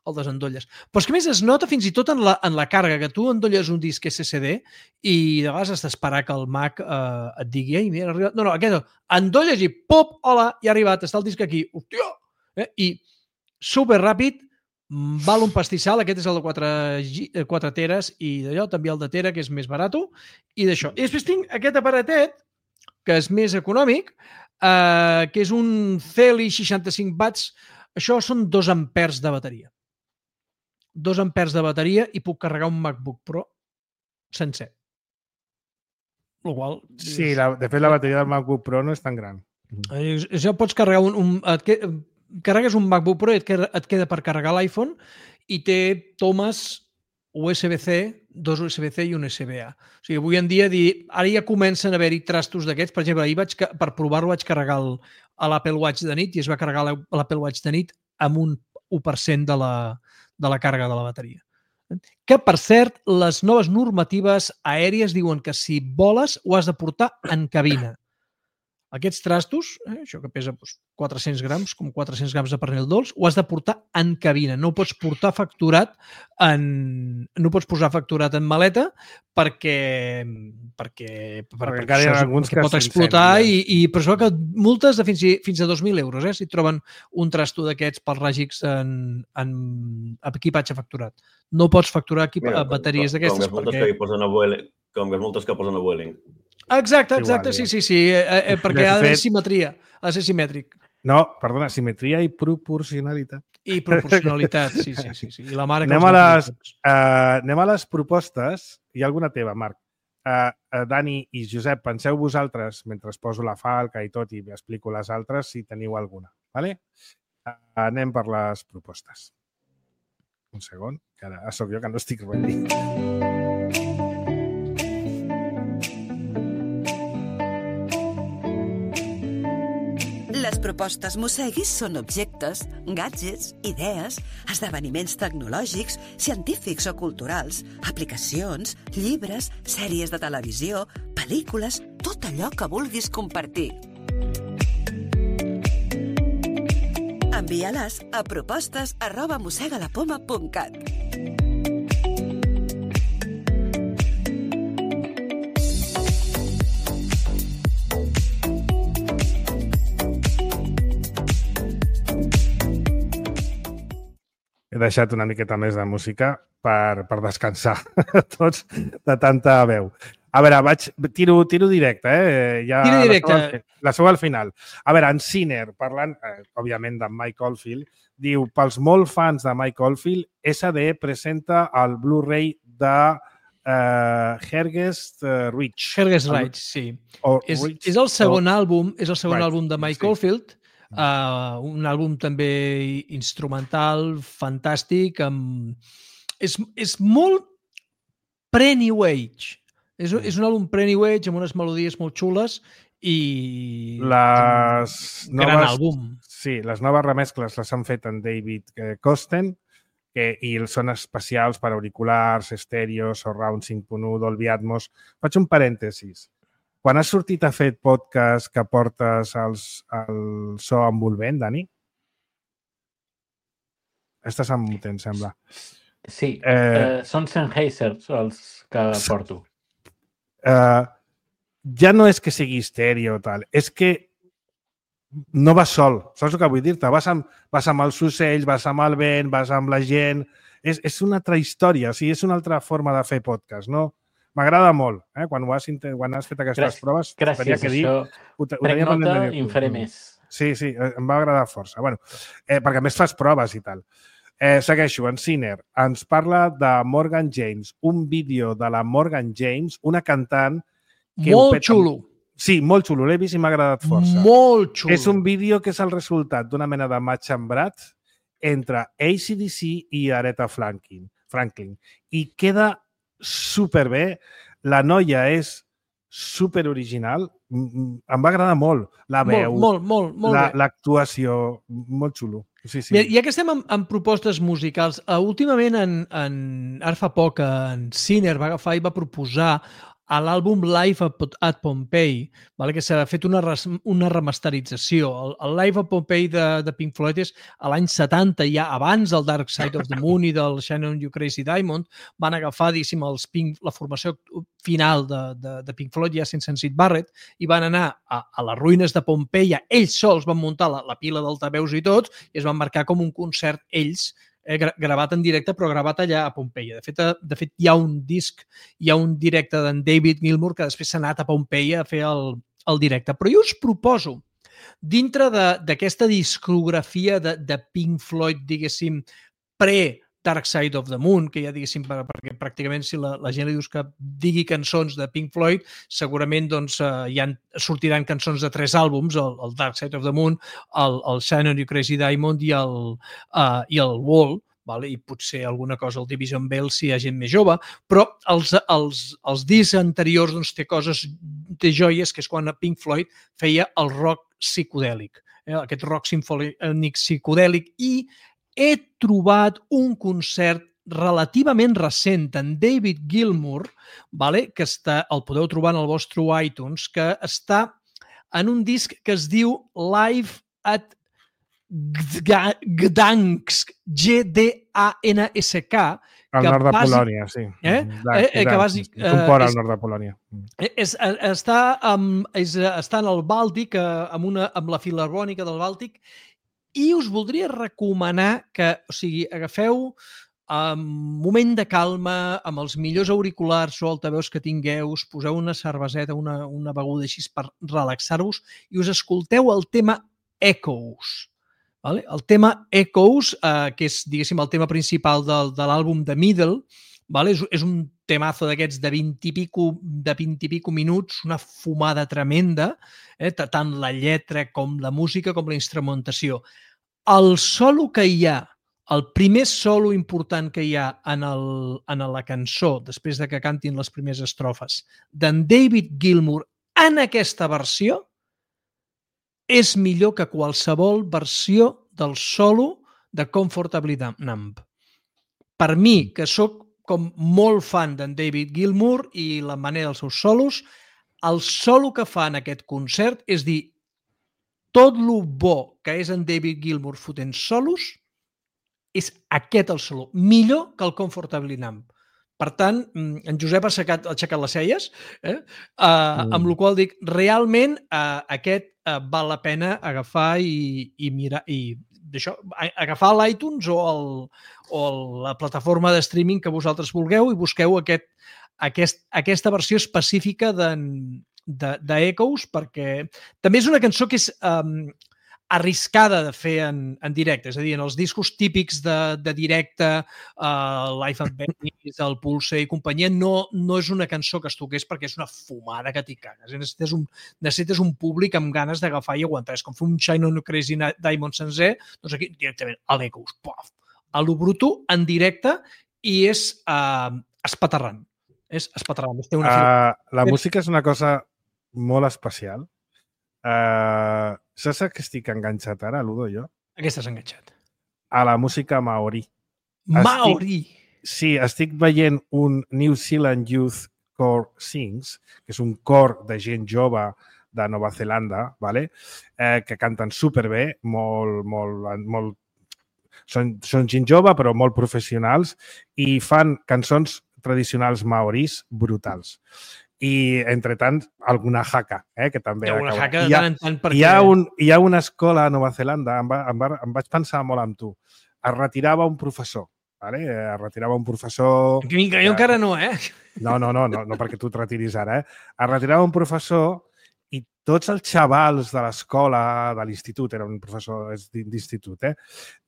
el desendolles. Però és que més es nota fins i tot en la càrrega, que tu endolles un disc SSD i de vegades has d'esperar que el Mac et digui, ei, mira, ha arribat. No, aquest endolles i pop, hola, ja ha arribat, està el disc aquí. Hòstia! I superràpid, val un pastissal, aquest és el de 4 teres i d'allò, també el de tera, que és més barat, i d'això. I després tinc aquest aparatet, que és més econòmic, que és un Celi 65 watts. Això són 2 ampers de bateria. 2 ampers de bateria i puc carregar un MacBook Pro sencer. El qual... Sí, de fet la bateria del MacBook Pro no és tan gran. Això pots carregar carregues un MacBook Pro i et queda per carregar l'iPhone i té tomes USB-C, 2 USB-C i un USB-A. O sigui, avui en dia, ara ja comencen a haver-hi trastos d'aquests. Per exemple, ahir per provar-ho vaig carregar l'Apple Watch de nit i es va carregar l'Apple Watch de nit amb un 1% de la càrrega de la bateria. Que, per cert, les noves normatives aèries diuen que si voles ho has de portar en cabina. Aquests trastos, això que pesa 400 grams, com 400 grams de pernil dolç, ho has de portar en cabina. No ho pots portar facturat no pots posar facturat en maleta perquè pot explotar i per això que multes de fins a 2.000 euros, si troben un trasto d'aquests pels ràgics en equipatge facturat. No pots facturar bateries d'aquestes perquè... Com les multes que posen a Vueling. Exacte, sí, perquè ha d'haver simetria, ha de ser simètric. No, perdona, simetria i proporcionalitat. I proporcionalitat, sí. I la mare que anem a les propostes. Hi ha alguna teva, Marc? Dani i Josep, penseu vosaltres, mentre poso la falca i tot i explico les altres, si teniu alguna. Vale? Anem per les propostes. Un segon, que ara sóc jo que no estic ready. Les propostes Mosseguis són objectes, gadgets, idees, esdeveniments tecnològics, científics o culturals, aplicacions, llibres, sèries de televisió, pel·lícules, tot allò que vulguis compartir. Envia-les a propostes@mossegalapoma.cat. He deixat una miqueta més de música per descansar tots de tanta veu. A veure, tiro directe, Tiro directe. La seu al final. A veure, en Sinner, parlant, òbviament, de Mike Oldfield, diu, pels molt fans de Mike Oldfield, SD presenta el Blu-ray de Hergest Reach. Hergest Reach, sí. És el segon àlbum de Mike Oldfield, un àlbum també instrumental, fantàstic, és molt pre-New Age. És un àlbum pre-New Age amb unes melodies molt xules i gran àlbum. Sí, les noves remescles les han fet en David Kosten i són especials per auriculars, estèrios, Surround 5.1, Dolby Atmos. Faig un parèntesis. Quan has sortit a fer podcast que portes el so envolvent, Dani? Estàs emmutent, sembla. Sí, són Sennheiser els que porto. Ja no és que sigui estèreo o tal, és que no vas sol, saps el que vull dir-te? Vas amb els ocells, vas amb el vent, vas amb la gent... És una altra història, o sigui, és una altra forma de fer podcast, no? M'agrada molt, quan has fet aquestes proves. Gràcies, això. Prenc nota i en faré més. Sí, em va agradar força. Bueno, perquè a més fas proves i tal. Segueixo, en Sinner ens parla de Morgan James, un vídeo de la Morgan James, una cantant... Molt xulo. Sí, molt xulo, l'he vist i m'ha agradat força. Molt xulo. És un vídeo que és el resultat d'una mena de match embrat entre AC/DC i Aretha Franklin. I queda superbé. La noia és superoriginal. Em va agradar molt la veu, l'actuació, molt xulo. Sí. Ja que estem en propostes musicals, últimament, ara fa poc, en Sinner va agafar i va proposar a l'àlbum Live at Pompeii, que s'ha fet una remasterització. El Live at Pompeii de Pink Floyd és a l'any 70, ja abans del Dark Side of the Moon i del Shine On You Crazy Diamond, van agafar, la formació final de Pink Floyd, ja sense en Syd Barrett, i van anar a les ruïnes de Pompeia. Ells sols van muntar la pila d'altaveus i tot, i es van marcar com un concert ells, gravat en directe, però gravat allà a Pompeia. De fet, hi ha un disc, hi ha un directe d'en David Gilmour que després s'ha anat a Pompeia a fer el directe. Però jo us proposo dintre d'aquesta discografia de Pink Floyd, diguéssim, pre-Dark Side of the Moon, que ja diguéssim, perquè pràcticament si la gent li dius que digui cançons de Pink Floyd, segurament doncs, sortiran cançons de 3 àlbums, el Dark Side of the Moon, el Shine on You Crazy Diamond i el Wall, vale? I potser alguna cosa al Division Bell si hi ha gent més jove, però els discs anteriors doncs, té joies, que és quan Pink Floyd feia el rock psicodèlic, aquest rock simfònic psicodèlic, i he trobat un concert relativament recent en David Gilmour, vale? Que el podeu trobar en el vostre iTunes, que està en un disc que es diu Live at Gdansk, Gdansk. Al nord de Polònia, sí. És un port al nord de Polònia. Està en el Bàltic, amb la Filharmònica del Bàltic, i us voldria recomanar que, agafeu un moment de calma, amb els millors auriculars o altaveus que tingueu, us poseu una cerveseta, una beguda així per relaxar-vos i us escolteu el tema Echoes. Vale? El tema Echoes, que és, diguéssim, el tema principal de l'àlbum The Middle, vale? És un temazo d'aquests de 20 i pico minuts, una fumada tremenda, tant la lletra com la música com la instrumentació. El solo que hi ha, el primer solo important que hi ha en la cançó, després de que cantin les primeres estrofes, d'en David Gilmour en aquesta versió, és millor que qualsevol versió del solo de Comfortably Numb. Per mi, que sóc com molt fan d'en David Gilmour i la manera dels seus solos, el solo que fa en aquest concert és dir tot lo bo que és en David Gilmour fotent solos és aquest el solo, millor que el Comfortably Numb. Per tant, en Josep ha aixecat les celles, amb la qual dic, realment aquest val la pena agafar i mirar, i agafar l'iTunes o la plataforma de streaming que vosaltres vulgueu i busqueu aquesta versió específica d'Echoes, perquè també és una cançó que és arriscada de fer en directe, és a dir, en els discos típics de directe, Live at Venice, el Pulse i companyia, no és una cançó que es toqués perquè és una fumada que t'hi cagues. Necessites un públic amb ganes d'agafar i aguantar. És com fer un Shine on You Crazy Diamond sencer, doncs aquí directament a l'Echoes, a lo bruto, en directe, i és espaterrant. És espaterrant. La música és una cosa molt especial. Saps que estic enganxat ara, Ludo, jo? A què estàs enganxat? A la música maori. Maori? Sí, estic veient un New Zealand Youth Core Sings, que és un cor de gent jove de Nova Zelanda, vale? Que canten superbé, són gent jove però molt professionals i fan cançons tradicionals maoris brutals. I, entre tant, alguna haka, que també... Hi ha una escola a Nova Zelanda, em vaig pensar molt amb tu, es retirava un professor, es retirava un professor... Jo encara no, No, perquè tu et retiris ara, Es retirava un professor i tots els xavals de l'escola, de l'institut, era un professor d'institut,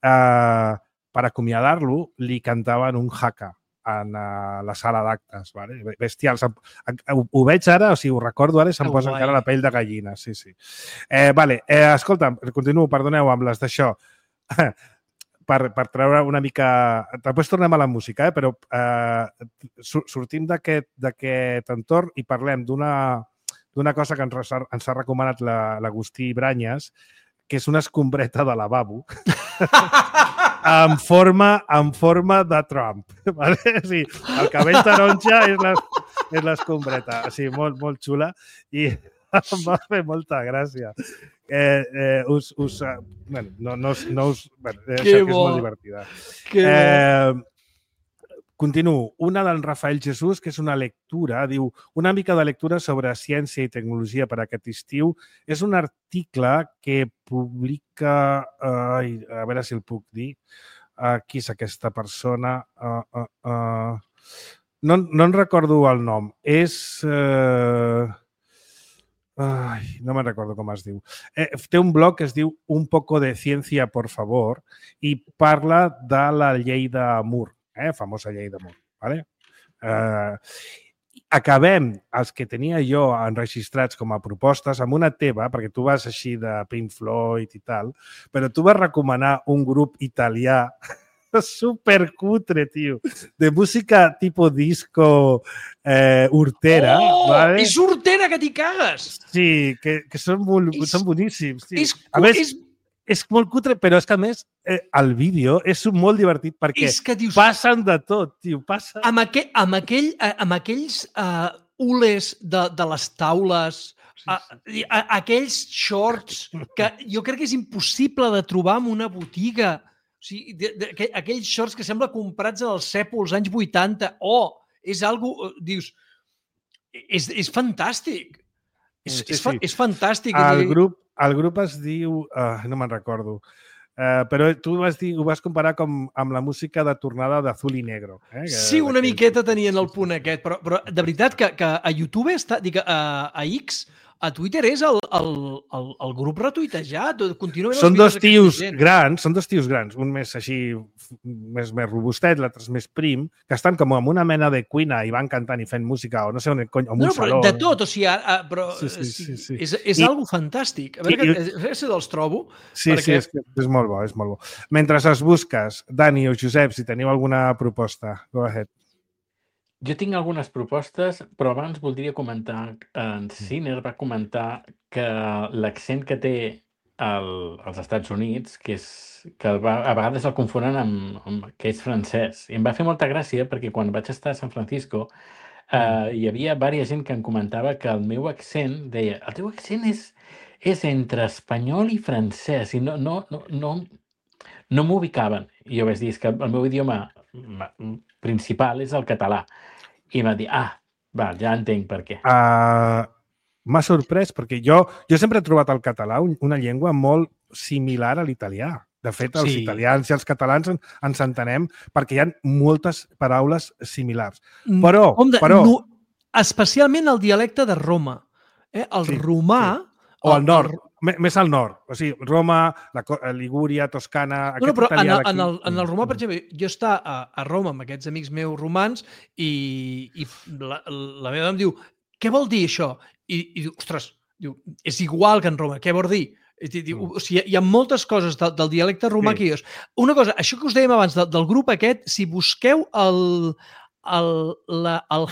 per acomiadar-lo, li cantaven un haka en la sala d'actes, bestials. Ho veig ara, ho recordo ara i se'm posa encara la pell de gallina. Sí. Escolta, continuo, perdoneu, amb les d'això. Per treure una mica... Després tornem a la música, però sortim d'aquest entorn i parlem d'una cosa que ens ha recomanat l'Agustí Branyes, que és una escombreta de lavabo en forma de Trump. Vale? Sí, el cabell taronja és l'escombreta. Sí, molt xula i em va fer molta gràcia. És molt divertida. Continuo. Una del Rafael Jesús, que és una lectura, diu, una mica de lectura sobre ciència i tecnologia per aquest estiu. És un article que publica... a veure si el puc dir. Qui és aquesta persona? No en recordo el nom. És... no me'n recordo com es diu. Té un blog que es diu Un poco de ciencia, por favor, i parla de la llei de Moore, famosa llei de Moore. ¿Vale? Acabem els que tenia jo enregistrats com a propostes amb una teva, perquè tu vas així de Pink Floyd i tal, però tu vas recomanar un grup italià supercutre, tio, de música tipo disco hortera. ¿vale? És hortera que t'hi cagues! Sí, que són boníssims. A més, és molt cutre, però és que a més el vídeo és molt divertit perquè passen de tot, tio. Amb aquells ules de les taules, aquells shorts que jo crec que és impossible de trobar en una botiga. O sigui, aquells shorts que sembla comprats als Cèpols anys 80. És algo... Dius, és fantàstic. És fantàstic. El grup es diu... no me'n recordo. Però tu ho vas comparar com amb la música de tornada d'Azul i Negro. Sí, una miqueta tenien el punt aquest. Però de veritat que a YouTube, a X, a Twitter és el grup retuitejat. Són dos tios grans, un més així, més robustet, l'altre més prim, que estan com en una mena de cuina i van cantant i fent música, o no sé on, en un saló. De tot, o sigui, però és algo fantàstic. A veure si els trobo. Sí, és molt bo, és molt bo. Mentre els busques, Dani o Josep, si teniu alguna proposta, go ahead. Jo tinc algunes propostes, però abans voldria comentar, en Sinner va comentar que l'accent que té als Estats Units, que a vegades el confonen amb que és francès. I em va fer molta gràcia perquè quan vaig estar a San Francisco hi havia diversa gent que em comentava que el meu accent, deia, el teu accent és entre espanyol i francès, i no m'ubicaven. I jo vaig dir, és que el meu idioma principal és el català. I em va dir, ja entenc per què. M'ha sorprès perquè jo sempre he trobat el català una llengua molt similar a l'italià. De fet, els italians i els catalans ens entenem perquè hi ha moltes paraules similars. Però... Especialment el dialecte de Roma. El romà... O al nord, més al nord. O sigui, Roma, Ligúria, Toscana... Però en el romà, per exemple, jo està a Roma amb aquests amics meus romans i la meva dona em diu, què vol dir això? I diu, ostres, és igual que en Roma, què vol dir? O sigui, hi ha moltes coses del dialecte romà que jo... Una cosa, això que us dèiem abans del grup aquest, si busqueu el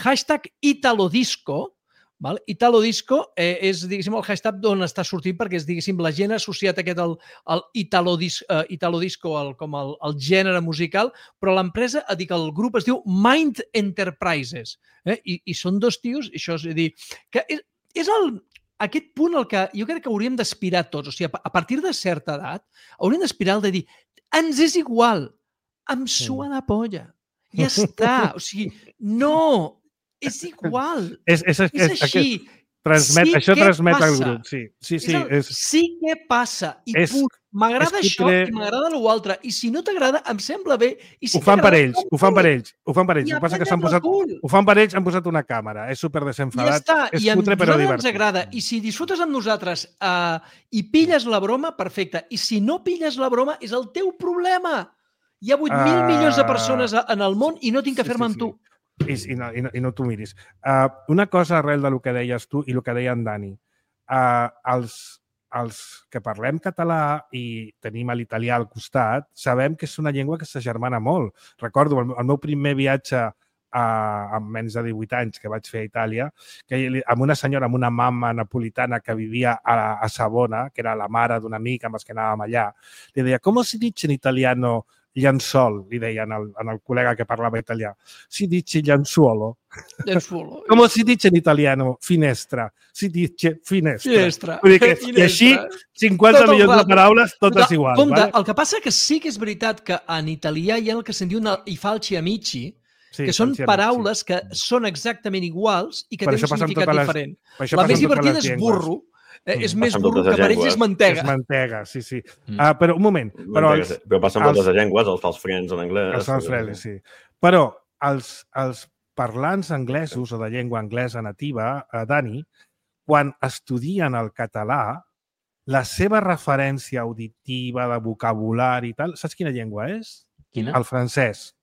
hashtag Italodisco, Italo Disco és, diguéssim, el hashtag d'on està sortint perquè és, diguéssim, la gent ha associat aquest al Italo Disco com el gènere musical, però l'empresa, el grup es diu Mind Enterprises i són dos tios, això és a dir, que és aquest punt el que jo crec que hauríem d'aspirar tots, o sigui, a partir de certa edat hauríem d'aspirar al de dir, ens és igual, em sua la polla, ja està, o sigui, no... És igual. És així. Això transmet al grup. Sí que passa. I m'agrada això i m'agrada l'altre. I si no t'agrada, em sembla bé. Ho fan per ells. Ho fan per ells. Ho passa que ho fan per ells, han posat una càmera. És super desenfadat. És cutre, però divertit. Ens agrada. I si disfrutes amb nosaltres i pilles la broma, perfecte. I si no pilles la broma, és el teu problema. Hi ha 8.000 milions de persones en el món i no tinc que fer-me amb tu. I no t'ho miris. Una cosa arrel del que deies tu i el que deia en Dani. Els que parlem català i tenim l'italià al costat, sabem que és una llengua que s'agermana molt. Recordo el meu primer viatge amb menys de 18 anys que vaig fer a Itàlia, amb una senyora, amb una mama napolitana que vivia a Savona, que era la mare d'un amic amb els que anàvem allà, li deia, com si dice in italiano llençol, li deien al col·lega que parlava italià. Si dice llenzuolo. Com si dice in italiano finestra. Si dice finestra. I així, 50 milions de paraules, totes iguals. El que passa que sí que és veritat que en italià hi ha el que se'n diu i falci amici, que són paraules que són exactament iguals i que tenen un significat diferent. La més divertida és burro, és més burro que per ells és mantega. És mantega, sí. Però un moment. Però passen moltes llengües, els false friends en anglès. Els false friends, sí. Però els parlants anglesos o de llengua anglesa nativa, Dani, quan estudien el català, la seva referència auditiva, de vocabulari i tal, saps quina llengua és? Quina? El francès.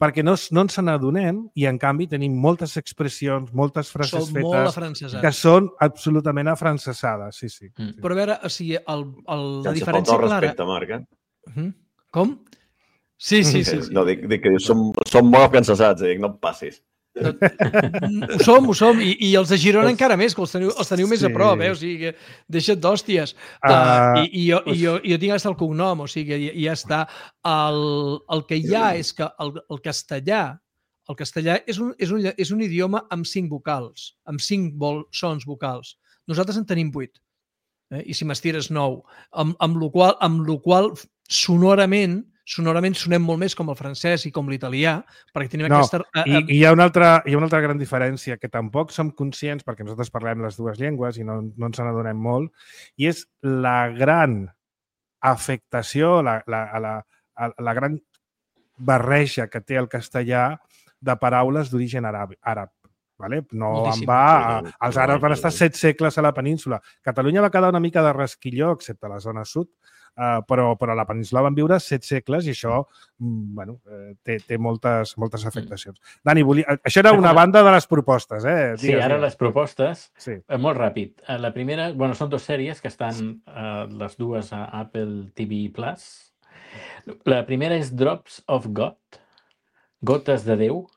Perquè no ens n'adonem i, en canvi, tenim moltes expressions, moltes frases fetes que són absolutament afrancesades. Sí. Però a veure, o sigui, la Sense diferència faltar clara... respecte, Marc, Com? Sí. No, dic que som molt afrancesats, dic, no et passis. Ho som, i els de Girona encara més, que els teniu més a prop, o sigui, deixa't d'hòsties. I jo tinc hasta el cognom, o sigui, ja està. El que hi ha és que el castellà és un idioma amb 5 vocals, amb 5 sons vocals. Nosaltres en tenim 8, i si m'estires 9, amb la qual sonorament sonem molt més com el francès i com l'italià, perquè tenim aquesta... I hi ha una altra gran diferència, que tampoc som conscients, perquè nosaltres parlem les dues llengües i no ens n'adonem molt, i és la gran afectació, la gran barreja que té el castellà de paraules d'origen àrab. No en va... Els àrabs van estar 7 segles a la península. Catalunya va quedar una mica de rasquilló, excepte la zona sud, però a la península van viure 7 segles i això té moltes afectacions. Dani, això era una banda de les propostes. Sí, ara les propostes, molt ràpid. La primera, són 2 sèries que estan les dues a Apple TV+. La primera és Drops of God, Gotes de Déu.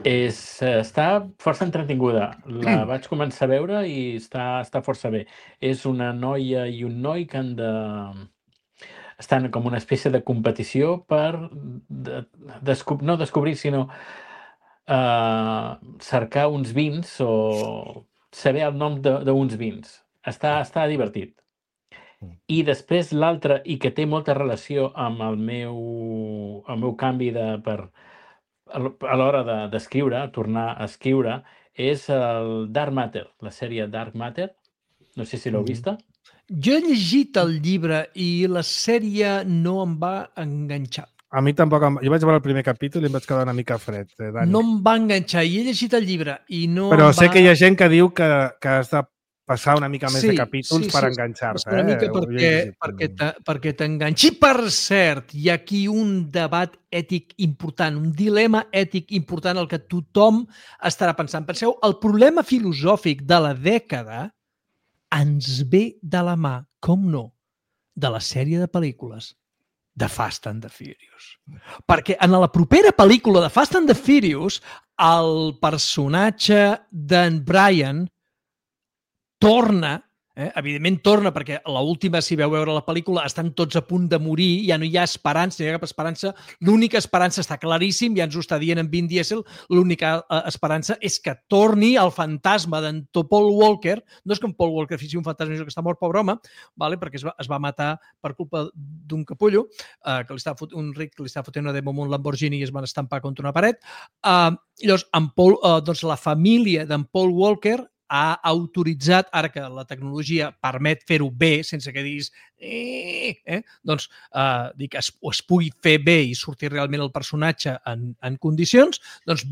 Està força entretinguda. La vaig començar a veure i està força bé. És una noia i un noi que estan com una espècie de competició per no descobrir, sinó cercar uns vins o saber el nom d'uns vins. Està divertit. I després l'altra, i que té molta relació amb el meu canvi a l'hora d'escriure, tornar a escriure, és el Dark Matter, la sèrie Dark Matter. No sé si l'heu vista. Jo he llegit el llibre i la sèrie no em va enganxar. A mi tampoc. Jo vaig veure el primer capítol i em vaig quedar una mica fred, Dani. No em va enganxar i he llegit el llibre i no Però sé que hi ha gent que diu que has de passar una mica més de capítols per enganxar-se. Una mica perquè t'enganxi. Per cert, hi ha aquí un debat ètic important, un dilema ètic important el que tothom estarà pensant. Penseu, el problema filosòfic de la dècada ens ve de la mà, com no, de la sèrie de pel·lícules de Fast and the Furious. Perquè en la propera pel·lícula de Fast and the Furious, el personatge d'en Brian torna, evidentment torna, perquè a l'última, si veu veure la pel·lícula, estan tots a punt de morir, ja no hi ha esperança, no hi ha cap esperança. L'única esperança està claríssim, ja ens ho està dient en Vin Diesel, l'única esperança és que torni el fantasma d'en Paul Walker. No és que en Paul Walker fixi un fantasma, que està mort, pobre home, perquè es va matar per culpa d'un capullo, un ric que li estava fotent una demo amb un Lamborghini i es van estampar contra una paret. Llavors, la família d'en Paul Walker ha autoritzat, ara que la tecnologia permet fer-ho bé, sense que diguis es pugui fer bé i sortir realment el personatge en condicions, doncs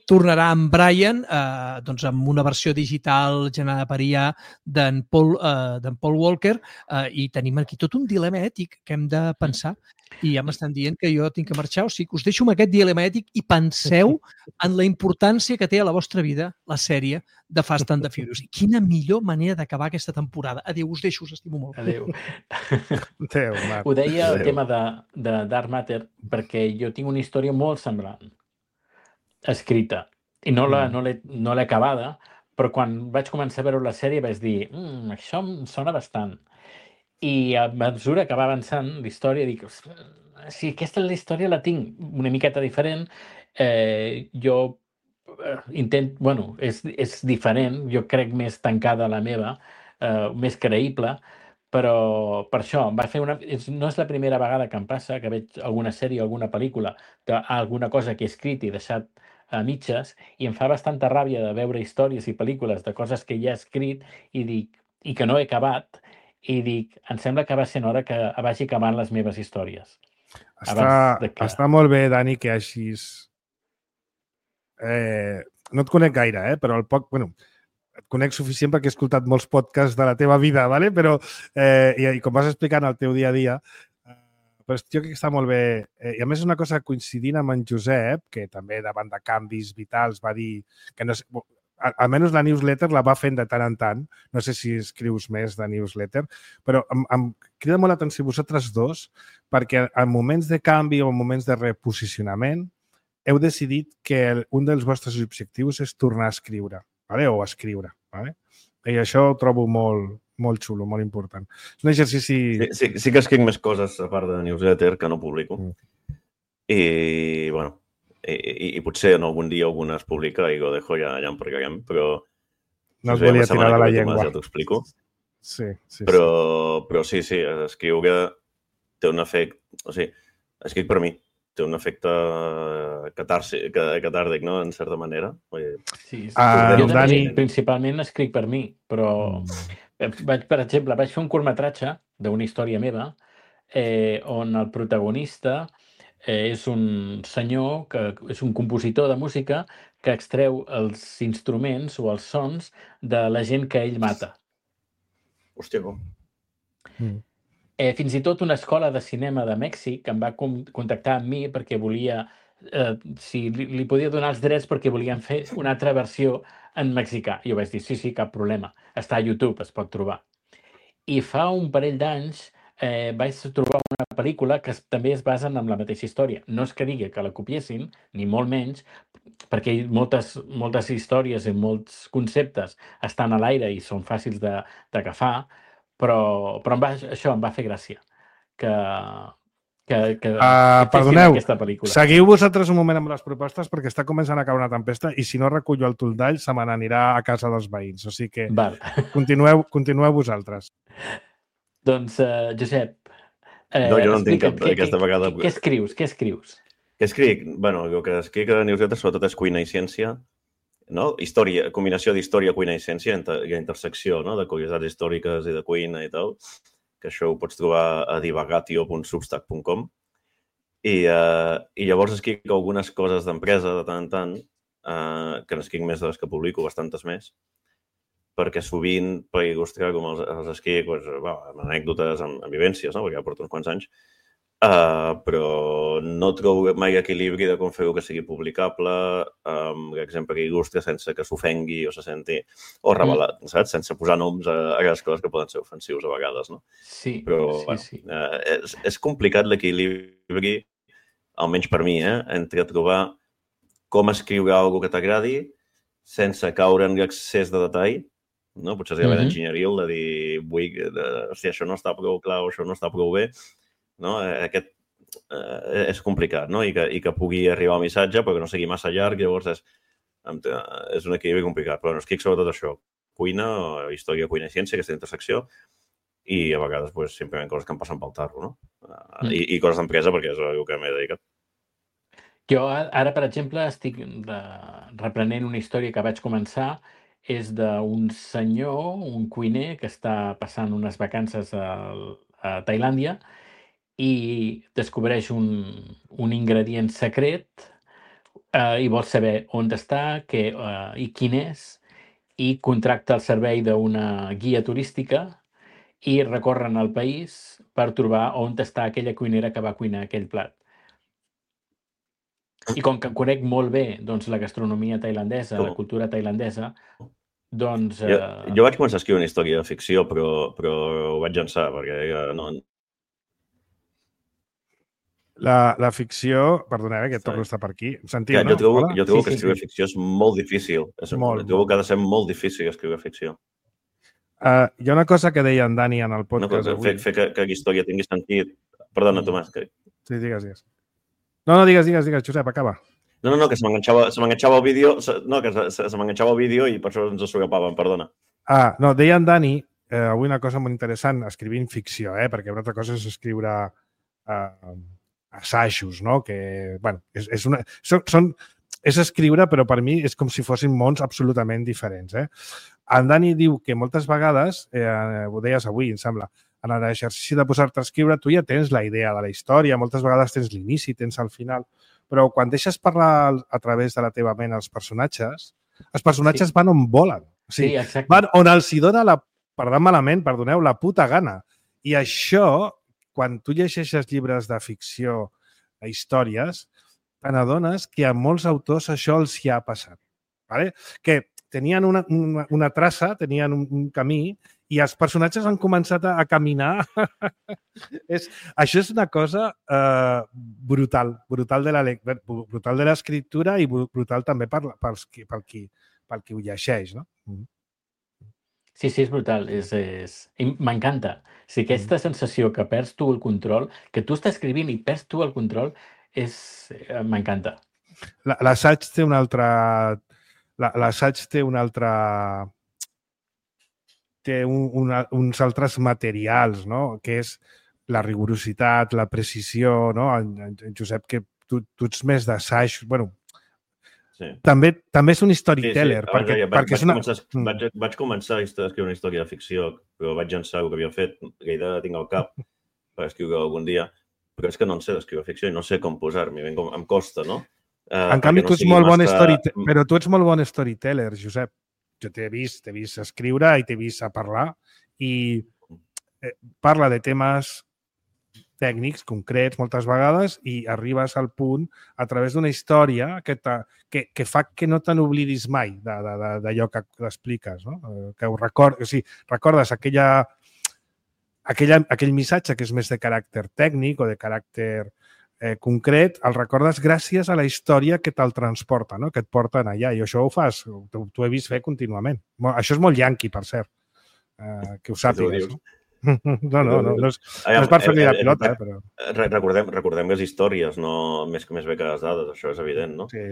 tornarà en Brian amb una versió digital generada per IA d'en Paul Walker i tenim aquí tot un dilema ètic que hem de pensar. I ja m'estan dient que jo tinc que marxar, o sigui que us deixo amb aquest dilema ètic i penseu en la importància que té a la vostra vida la sèrie de Fast and the Furious. Quina millor manera d'acabar aquesta temporada. Adéu, us deixo, us estimo molt. Adéu. Ho deia el tema de Dark Matter perquè jo tinc una història molt semblant escrita i no l'he acabada, però quan vaig començar a veure la sèrie vaig dir això em sona bastant. I a mesura que va avançant la història dic, si aquesta història la tinc una miqueta diferent, jo intento, és diferent, jo crec més tancada la meva, més creïble, però per això no és la primera vegada que em passa que veig alguna sèrie o alguna pel·lícula d'alguna cosa que he escrit i deixat a mitges i em fa bastanta ràbia de veure històries i pel·lícules de coses que ja he escrit i que no he acabat i dic, em sembla que va ser hora que vagi acabant les meves històries. Està molt bé, Dani, que hagis no et conec gaire, però el poc... Bueno, et conec suficient perquè he escoltat molts podcasts de la teva vida, ¿vale? Però, i com vas explicant el teu dia a dia, però jo crec que està molt bé. I a més és una cosa coincidint amb en Josep, que també davant de canvis vitals va dir que no sé, almenys la newsletter la va fent de tant en tant. No sé si escrius més de newsletter, però em crida molt l'atenció vosaltres dos perquè en moments de canvi o en moments de reposicionament heu decidit que un dels vostres objectius és tornar a escriure, ¿vale? O escriure. ¿Vale? I això ho trobo molt xulo, molt important. És un exercici... Sí que escric més coses a part de newsletter que no publico. I, bueno, i potser en algun dia alguna es publica i ho dejo, ja en parlarem, però... No et volia tirar de la llengua. Ja t'ho explico. Sí. Però sí, escriure té un efecte... O sigui, escric per mi. Té un efecte catàrtic, no?, en certa manera. Sí. Jo també principalment escric per mi, però, per exemple, vaig fer un curtmetratge d'una història meva on el protagonista és un senyor que és un compositor de música que extreu els instruments o els sons de la gent que ell mata. Hòstia, com? Fins i tot una escola de cinema de Mèxic em va contactar amb mi perquè volia, si li podia donar els drets perquè volien fer una altra versió en mexicà. I jo vaig dir, sí, cap problema. Està a YouTube, es pot trobar. I fa un parell d'anys vaig trobar una pel·lícula que també es basa en la mateixa història. No és que digui que la copiessin, ni molt menys, perquè moltes històries i molts conceptes estan a l'aire i són fàcils d'agafar, però això em va fer gràcia, que perdoneu, aquesta pel·lícula. Seguiu vosaltres un moment amb les propostes perquè està començant a caure una tempesta i si no recullo el toldall se me n'anirà a casa dels veïns. O sigui que continueu vosaltres. Doncs, Josep... No, jo no entenc aquesta vegada... Què escrius? Què escric? Bueno, el que escric a newsletter sobretot és cuina i ciència, no? Combinació d'història, cuina i ciència, i intersecció, no? De curiositats històriques i de cuina i tal, que això ho pots trobar a divagatio.substack.com. I llavors escric algunes coses d'empresa de tant en tant, que n'escric més de les que publico, bastantes més, perquè sovint, per il·lustrar com els escric, amb anècdotes, amb vivències, no? Perquè ja porto uns quants anys, però no trobo mai equilibri de com fer-ho que sigui publicable, per exemple, que il·lustre sense que s'ofengui o se senti, o revelat, saps? Sense posar noms a les coses que poden ser ofensius a vegades, no? Sí, però, sí. És complicat l'equilibri, almenys per mi, entre trobar com escriure alguna que t'agradi sense caure en l'excés de detall, no? Potser és gairebé d'enginyeria de dir, hòstia, això no està prou clar o això no està prou bé, no? Aquest és complicat, no? I que pugui arribar el missatge però que no sigui massa llarg, llavors és un equilibri complicat, però no escric sobretot això, cuina, història, cuina i ciència, aquesta intersecció, i a vegades simplement coses que em passen pel tarro, no? I coses d'empresa perquè és el que m'he dedicat. Jo ara, per exemple, estic reprenent una història que vaig començar, és d'un senyor, un cuiner, que està passant unes vacances a Tailàndia i descobreix un ingredient secret i vol saber on està i quin és, i contracta el servei d'una guia turística i recorren el país per trobar on està aquella cuinera que va cuinar aquell plat. I com que conec molt bé la gastronomia tailandesa, la cultura tailandesa, doncs... Jo vaig començar a escriure una història de ficció, però ho vaig llançar, perquè no... La ficció... Perdoneu, que torno a estar per aquí. Sentiu, no? Jo trobo que escriure ficció és molt difícil. Trobo que ha de ser molt difícil escriure ficció. Hi ha una cosa que deia en Dani en el podcast avui. Fer que la història tingui sentit... Perdona, Tomàs. Sí, digues. No, digues, Josep, acaba. No, que se m'enganxava el vídeo, no, que se m'enganxava el vídeo i per això ens s'agapaven, perdona. No, deia en Dani avui una cosa molt interessant, escrivint ficció, perquè una altra cosa és escriure assajos, no? Que, bueno, és escriure, però per mi és com si fossin mons absolutament diferents. En Dani diu que moltes vegades, ho deies avui, em sembla, en l'exercici de posar-te a escriure, tu ja tens la idea de la història, moltes vegades tens l'inici, tens el final, però quan deixes parlar a través de la teva ment els personatges, Els personatges van on volen. O sigui, exacte. van on els hi dona perdoneu, la puta gana. I això, quan tu llegeixes llibres de ficció, històries, te n'adones que a molts autors això els hi ha passat. ¿Vale? Que tenien una traça, tenien un camí, i els personatges han començat a caminar. Això és una cosa brutal de l'escriptura i brutal també pel qui ho llegeix, no? Sí, és brutal. M'encanta. Si aquesta sensació que perds tu el control, que tu estàs escrivint i perds tu el control, m'encanta. L'assaig té un altre... L'assaig té un altre... té uns altres materials, no? Que és la rigorositat, la precisió, no? En Josep, que tu ets més d'assaig, bueno, sí. També és un storyteller. Sí. Vaig començar a escriure una història de ficció, però vaig llançar el que havia fet, la idea tinc al cap per escriure algun dia, però és que no en sé d'escriure ficció i no sé com posar-m'hi, em costa, no? En canvi, tu ets molt bon storyteller, però tu ets molt bon storyteller, Josep. Jo t'he vist escriure i t'he vist a parlar i parla de temes tècnics, concrets, moltes vegades, i arribes al punt a través d'una història que fa que no te n'oblidis mai d'allò que expliques, no? Que ho recordes, o sigui, recordes aquell missatge que és més de caràcter tècnic o de caràcter concret, el recordes gràcies a la història que te'l transporta, no? Que et porten allà. I això ho fas, t'ho he vist fer contínuament. Això és molt yanqui, per cert, que ho sàpigues. No és per fer-li la pilota, però... Recordem les històries, no més bé que les dades, això és evident, no? Sí.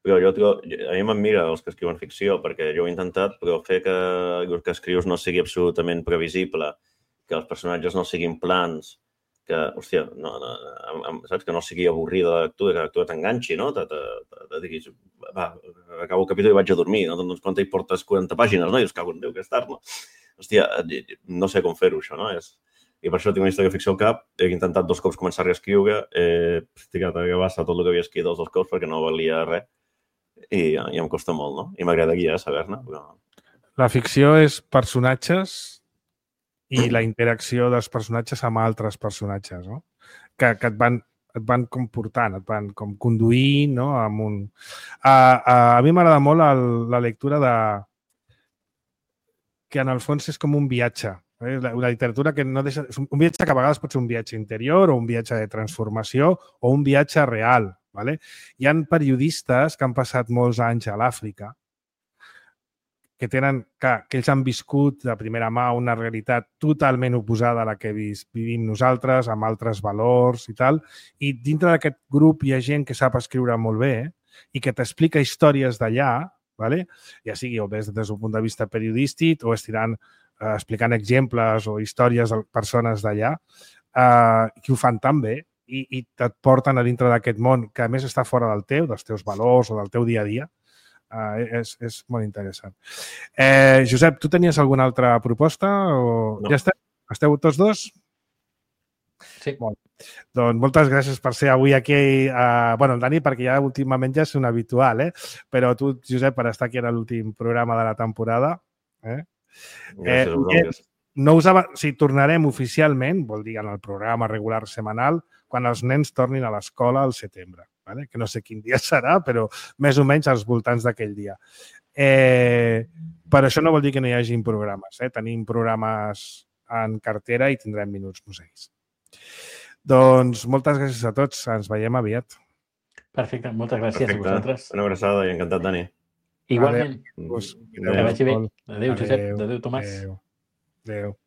Però a mi m'admira els que escriuen ficció, perquè jo he intentat, però fer que el que escrius no sigui absolutament previsible, que els personatges no siguin plans, que, hòstia, saps? Que no sigui avorrida la lectura, que la lectura t'enganxi, no? Te diguis, va, acabo el capítol i vaig a dormir, no? Doncs quan hi portes 40 pàgines, no? I dius, cago en Déu, que és tard, no? Hòstia, no sé com fer-ho, això, no? I per això tinc una història de ficció al cap, he intentat 2 cops començar a reescriure, he tirat a gavassa tot el que havia escrit els 2 cops perquè no valia res i em costa molt, no? I m'agradaria saber-ne, però... La ficció és personatges i la interacció dels personatges amb altres personatges, no? Que et van comportant, et van com conduint, no? A mi m'agrada molt la lectura que en el fons és com un viatge. La literatura que no deixa... Un viatge que a vegades pot ser un viatge interior o un viatge de transformació o un viatge real. ¿Vale? Hi ha periodistes que han passat molts anys a l'Àfrica que ells han viscut de primera mà una realitat totalment oposada a la que vivim nosaltres, amb altres valors i tal, i dintre d'aquest grup hi ha gent que sap escriure molt bé i que t'explica històries d'allà, ¿vale? Ja sigui o des d'un punt de vista periodístic o explicant exemples o històries de persones d'allà, que ho fan tan bé i et porten a dintre d'aquest món que a més està fora del teu, dels teus valors o del teu dia a dia. És molt interessant. Josep, tu tenies alguna altra proposta? No. Ja esteu tots dos? Sí. Bon. Doncs moltes gràcies per ser avui aquí. El Dani, perquè ja últimament ja és un habitual, però tu, Josep, per estar aquí en l'últim programa de la temporada. Gràcies. Tornarem oficialment, vol dir en el programa regular setmanal, quan els nens tornin a l'escola al setembre. ¿Vale? Que no sé quin dia serà, però més o menys als voltants d'aquell dia. Però això no vol dir que no hi hagi programes. Tenim programes en cartera i tindrem Minuts Museis. Doncs moltes gràcies a tots. Ens veiem aviat. Perfecte. Moltes gràcies a vosaltres. Una abraçada i encantat, Dani. Igualment. Que vagi bé. Adéu, Josep. Adéu, Tomàs. Adéu.